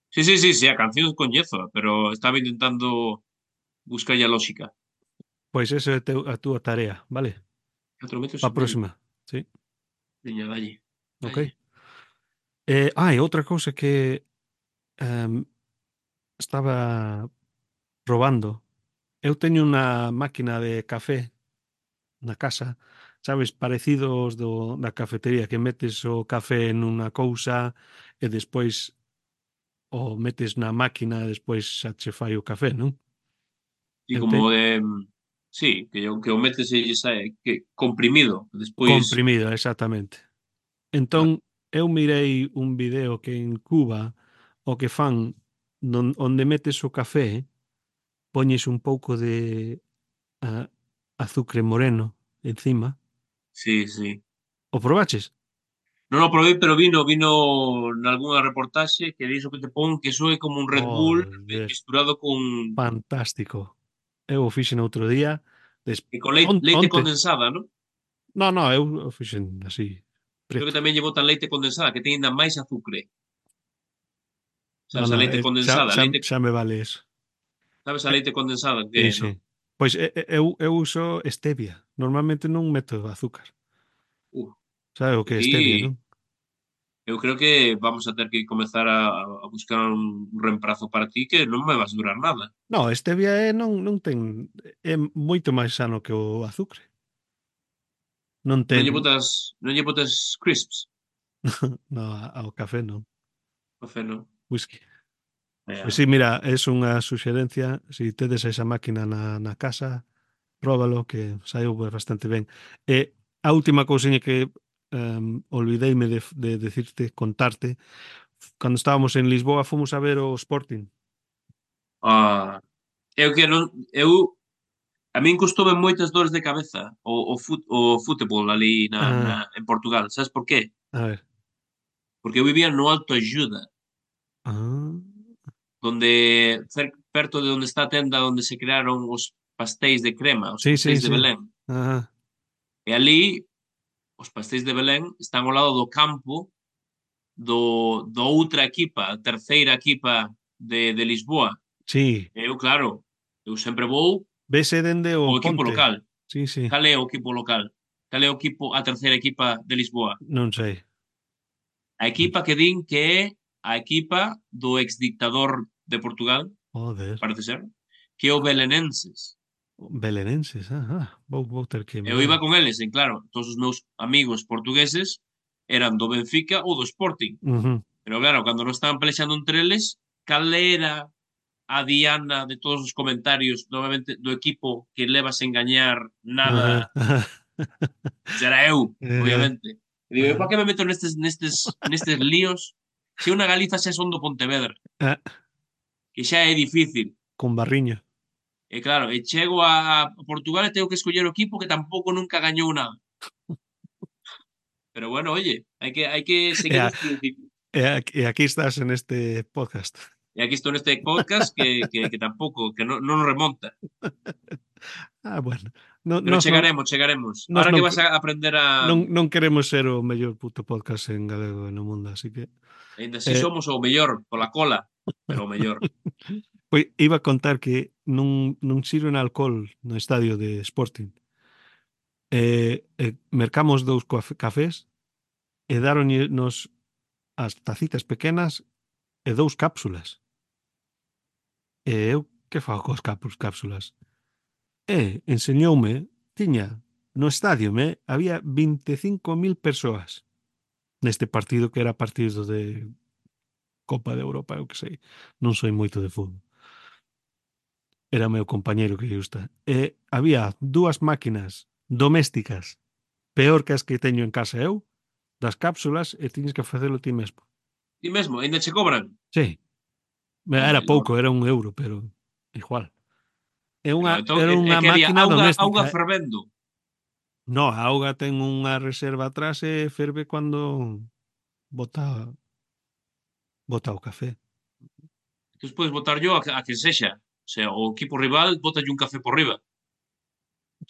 Sí, sí, sí, sí, a canción coñezo, pero estaba intentando buscar a lógica. Pois esa é a, teu, a túa tarea, vale? Catro metros Pa e medio. próxima. Sí, Veña, dalle, ok. dalle. Eh, ah, e outra cousa que em, estaba probando. Eu teño unha máquina de café na casa, sabes, parecidos do, da cafetería, que metes o café nunha cousa e despois o metes na máquina e despois xa che fai o café, non? Sí, Eu te como de... Sí, que o, que o metes e lle sae que comprimido, despois... comprimido, exactamente. Vale. Entón, eu mirei un video que en Cuba o que fan non, onde metes o café, poñes un pouco de ah, azucre moreno encima. Sí, sí. O probaches? Non o probei, pero vino, vino nalgúnha reportaxe que diso que te pon que soe como un Red Bull mi- Joder, misturado con, fantástico. Eu o fixen outro día, des... e con leite, on, leite onte. condensada, non? No, no, eu o fixen así, Creo que preto. tamén lle botan leite condensada, que ten ainda máis azucre. No, Sabes, a no, leite eh, xa, condensada, a xa, leite, xa me vale eso. sabes a Eh, leite condensada que sí, é, sí. non? Pois eh, eh, eu, eu uso stevia. Normalmente non meto azúcar. Uh, Sabe o que é stevia, aquí non? eu creo que vamos a ter que comezar a, a buscar un reemprazo para ti que non me vas durar nada. No, stevia é, non, non ten... É moito máis sano que o azúcar. Non Non ten... lle botas, non lle botas crisps, No, ao café non. café, non? Whisky. Pois Yeah. sí, mira, é unha suxerencia. Se si tedes esa máquina na, na casa, próbalo, que saiu bastante ben. E a última cousiña que um, olvideime de, de decirte, contarte, cando estábamos en Lisboa fomos a ver o Sporting. Ah, eu que non, eu a min custoume moitas dores de cabeza o, o, fut, o fútbol ali na, na, Ah, en Portugal. Sabes por qué? a ver. Porque eu vivía no Alto Ajuda, Ah, donde cer, perto de onde está a tenda onde se crearon os pastéis de crema, os sí, sí, pastéis de sí. Belén. Ah, E ali, os pastéis de Belén están ao lado do campo do, do outra equipa, a terceira equipa de, de Lisboa. sí. E eu, claro, eu sempre vou Vese dende o o equipo Ponte. local. Sí, sí. Cal é o equipo local? Cal é o equipo, a terceira equipa de Lisboa? Non sei. A equipa que din que é a equipa do exdictador de Portugal, Joder. parece ser, que é o Belenenses. Belenenses. Ah, ah. Vou, vou ter que Eu iba mirar. con eles, e claro, todos os meus amigos portugueses eran do Benfica ou do Sporting. Uh-huh. Pero claro, cando non estaban pelexando entre eles, cal era a diana de todos os comentarios, novamente, do equipo que levas en gañar nada, Ajá. Ajá. será eu, Eh, obviamente. E digo, eu para ajá. que me meto nestes, nestes, nestes líos se eu na Galiza xa son do Pontevedra, Ah, que xa é difícil. con barriño. E claro, e chego a Portugal e tengo que escoller o equipo que tampouco nunca gañou nada. Pero bueno, oye, hai que, hai que E, seguir a, os principios. e, aquí, e aquí estás en este podcast. E aquí estou neste podcast que, que, que tampouco, que non, non remonta. Ah, bueno. No, Pero nos non, chegaremos, chegaremos. nos Ahora non, que vas a aprender a... non, non queremos ser o mellor puto podcast en galego no mundo, así que... Ainda así Eh, somos o mellor, pola cola, pero o mellor. pois iba a contar que non, non sirven alcohol no estadio de Sporting. Eh, eh, mercamos dous coaf- cafés e daronnos as tacitas pequenas e dous cápsulas. E eu que fago coas cápsulas? E enseñoume, tiña No estadio, me, había veinticinco mil persoas neste partido que era partido de Copa de Europa, eu que sei. Non soy moito de fútbol. Era o meu compañeiro que lle gusta. E había dúas máquinas domésticas peor que as que teño en casa eu, das cápsulas, e tiñes que facelo ti mesmo. Ti mesmo, ainda che cobran? Sí, Oh era my lord. pouco, era un euro, pero igual. É Pero unha, entón, era é, é unha que había máquina auga, doméstica. auga fervendo. No, a auga ten unha reserva atrás e ferve cando bota, bota o café. Despois botar yo a, que- a que sexa. O sea, o equipo rival botalle un café por riba.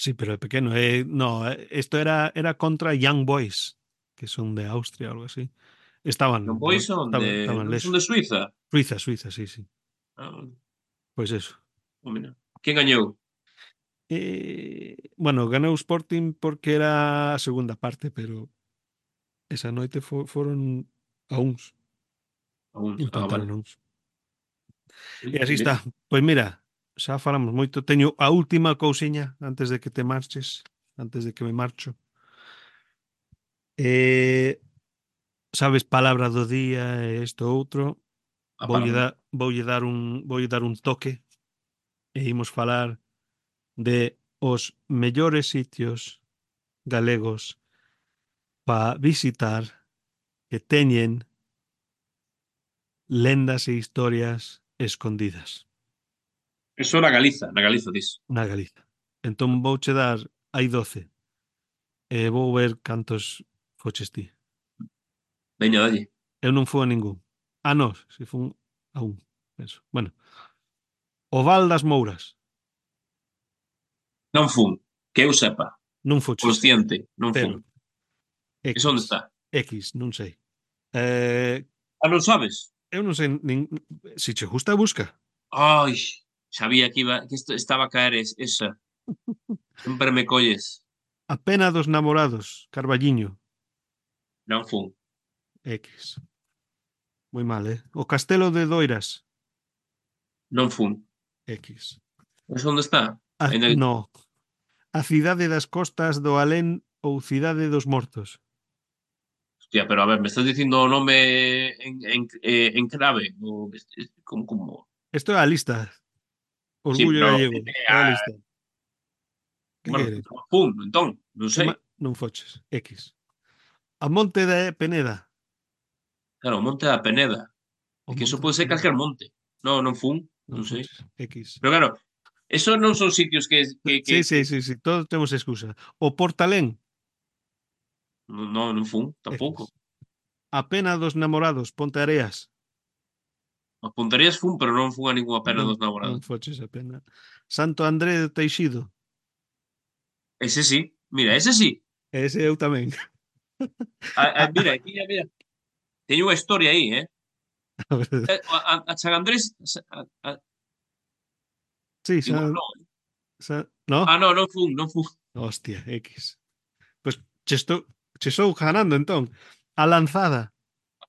Sí, pero é pequeno. Eh, no, eh, esto era, era contra Young Boys, que son de Austria o algo así. Non Estaban, pois no, son de, estaban, estaban non son de lexos. Suiza. Suiza, Suiza, sí, sí. Ah, Pois eso. oh, mira. Quen gañou? Eh, bueno, ganou o Sporting porque era a segunda parte, pero esa noite fo, foron a uns. A uns. Ah, Empataron vale. a uns. E Ui, así mira. está. Pois mira, xa falamos moito. Teño a última cousiña antes de que te marches, antes de que me marcho. Eh, sabes palabra do día e isto outro. A Voulle palabra. dar, voulle dar un, voulle dar un toque e imos falar de os mellores sitios galegos para visitar que teñen lendas e historias escondidas Eso na Galiza, na Galiza dis. na Galiza. Entón vouche dar, hai doce, e vou ver cantos foches ti. Veña, dalle. Eu non fui a ningún. Ah, non, se fun a un, penso. Bueno, o Val das Mouras, Non fun. Que eu sepa. non foches, Consciente. Non fun. cero, Eso onde X, está? X, non sei. Eh, Ah, non sabes? eu non sei, nin, se che gusta, busca. Ai, sabía que iba, que isto estaba a caer es, esa. Sempre me colles. A pena dos namorados, Carballiño, Non fun. X. Moi mal, eh? O Castelo de Doiras, Non fun. X. Eso onde está? A, Ainda... no, a cidade das costas do Alén ou cidade dos mortos. Hostia, pero a ver, me estás dicindo o nome en, en, eh, en clave? O, como, como... Isto é a lista. Sí, Orgullo pero... gallego. Eh, É a ah, lista. Que bueno, queres? non fun, entón, non Que sei. ma... Non foches. X. A Monte da Peneda. Claro, o Monte da Peneda. O É que eso Monte da pode ser Peneda. calquer monte. Non, non fun, Non non sei. foches. X. Pero claro, eso non son sitios que, que, que, Sí, que... sí, sí, sí. Todos temos excusa. O Portalén. Non, non, non fun, tampouco. X. A pena dos namorados, Ponte Areas. As puntarías fun, pero non fun a ninguna pena Non, dos non namorados. foches a pena. Santo André de Teixido. Ese sí, mira, ese sí. Ese eu tamén. Ah, ah, A, mira, aquí, mira, teño unha historia aí, eh? a ver, Eh, A, a, a San Andrés... A, a, sí, igual San, non. San, no? Ah, non, non fun, non fun. Hostia, X. Pues che estou, che estou ganando entón. A Lanzada.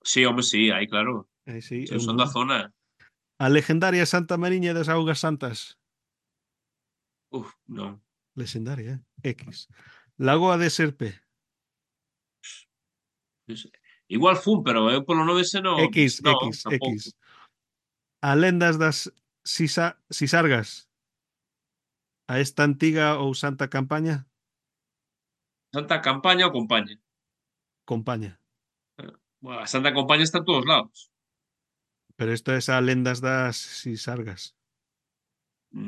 Sí, home, sí, aí claro. Aí sí, Son, eu son non. da zona. A legendaria Santa Mariña das Augas Santas. Uf, non. Legendaria, eh? X. Lagoa de Serpe. Igual fun, pero eu polo nome ese non... X, Non, X, tampouco. X. A lendas das Sisa, Sisargas. A esta antiga ou santa campaña. Santa Campaña ou Compaña? Compaña. Bueno, a Santa Compaña está en todos lados. Pero isto é a lendas das Sisargas.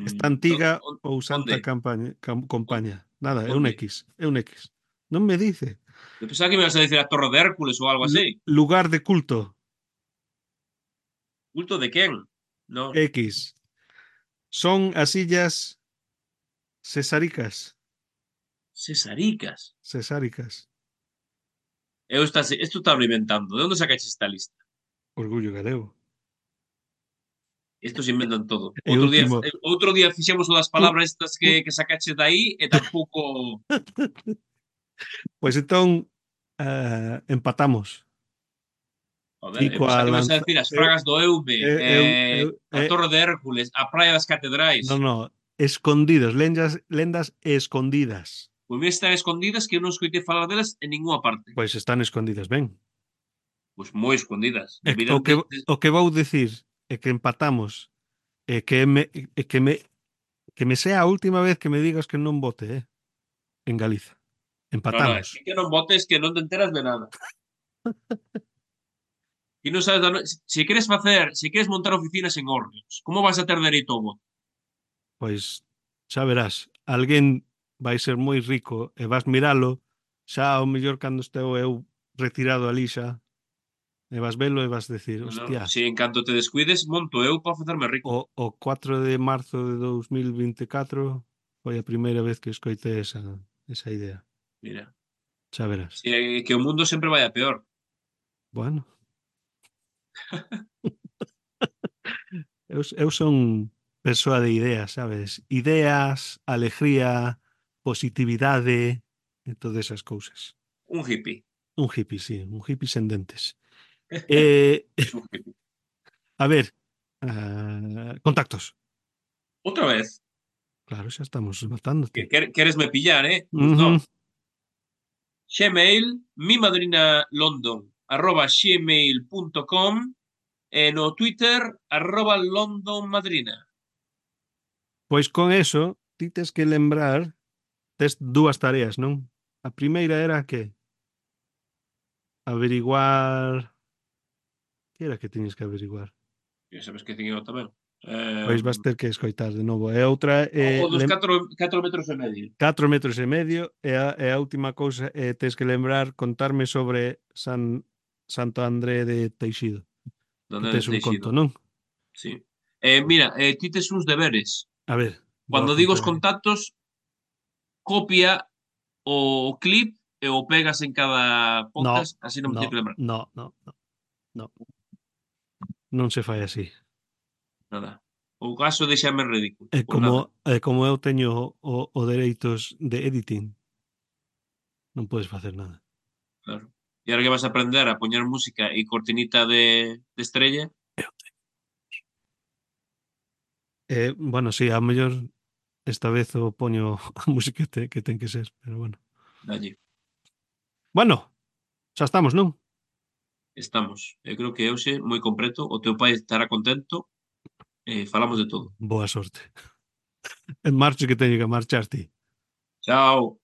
Esta Mm, antiga on- ou santa onde? campaña, cam, compaña. Nada, é un Onde? X. É un X. Non me dice. Eu pensaba que me ibas a dicir a Torre de Hércules ou algo Lu- así. lugar de culto. Culto de quen? Non. X. Son as illas Cesaricas. Cesaricas. Cesáricas. Eu está, isto está inventando. De onde sacaches esta lista? Orgullo galego. Estos inventan todo. E Outro día, último. eh, outro día fixemos o das Un, palabras estas que, un, que sacaches de aí e tampouco... pois entón uh, empatamos. Joder, Ti eu coa pensaba que me ibas a lanza. decir as Eu, fragas do Eume, eu, eu, eh, eu, a eu, Torre de Hércules, a Praia das Catedrais. non, non. Escondidos. Lendas, lendas escondidas. Pois mira, están escondidas que eu non escoitei falar delas en ningunha parte. Pois están escondidas ben. Pois moi escondidas. E, o, Deberían que, de, de, o que vou dicir é que empatamos e que me, e que me que me sea a última vez que me digas que non vote, eh, en Galiza. No, no, Empatamos. é que non votes que non te enteras de nada. E non sabes da no... Se queres facer, se queres montar oficinas en Orleans, como vas a ter dereito ao voto? Pois xa verás, alguén vai ser moi rico e vas miralo, xa ao mellor cando esteu eu retirado ali xa, e vas velo e vas decir, No, no. hostia, Se en canto te descuides, monto eu para facerme rico. o, o cuatro de marzo de dous mil vinte e catro foi a primeira vez que escoitei esa, esa idea. Mira, Xa verás. se é que o mundo sempre vai a peor. Bueno, eu, eu son persoa de ideas, sabes? Ideas, alegría, positividade e todas esas cousas. Un hippie. Un hippie, sí, un hippie sen dentes. Eh, Es un hippie. a ver, ah, contactos. Outra vez. Claro, xa estamos Que, matándote. quer- queresme pillar, eh? Pois Ujú. no. Gmail, mi madrina london, arroba gmail punto com e no Twitter, arroba London Madrina. Pois con eso, ti tes que lembrar, tes dúas tareas, non? A primeira era que averiguar... Que era que tiñes que averiguar? Ya sabes que tiño tamén. Pois Eh, vas ter que escoitar de novo. E outra o, é o dos lem... catro metros e medio. catro metros e medio e a, e a última cousa é tes que lembrar contarme sobre San Santo André de Teixido. Que Donde tes un conto, Teixido. non? Sí. Eh, mira, eh, ti tes uns deberes. A ver, vou Cando digo apuntar os aquí. contactos, copia o clip e o pegas en cada No, podcast, así non me no, teño que lembrar. no, no, no, no. Non se fai así. Nada. O caso deixame en ridículo. É Pois como, nada, é como eu teño o, o dereitos de editing, non podes facer nada. claro. E ahora que vas a aprender a poñer música e cortinita de, de estrella, Eh, bueno, sí, a mellor esta vez o poño a música que, te, que ten que ser, pero bueno. dalle. Bueno, xa estamos, non? Estamos. Eu creo que hoxe moi completo. O teu pai estará contento. E falamos de todo. Boa sorte. En marcho que teño que marchar ti. Chao.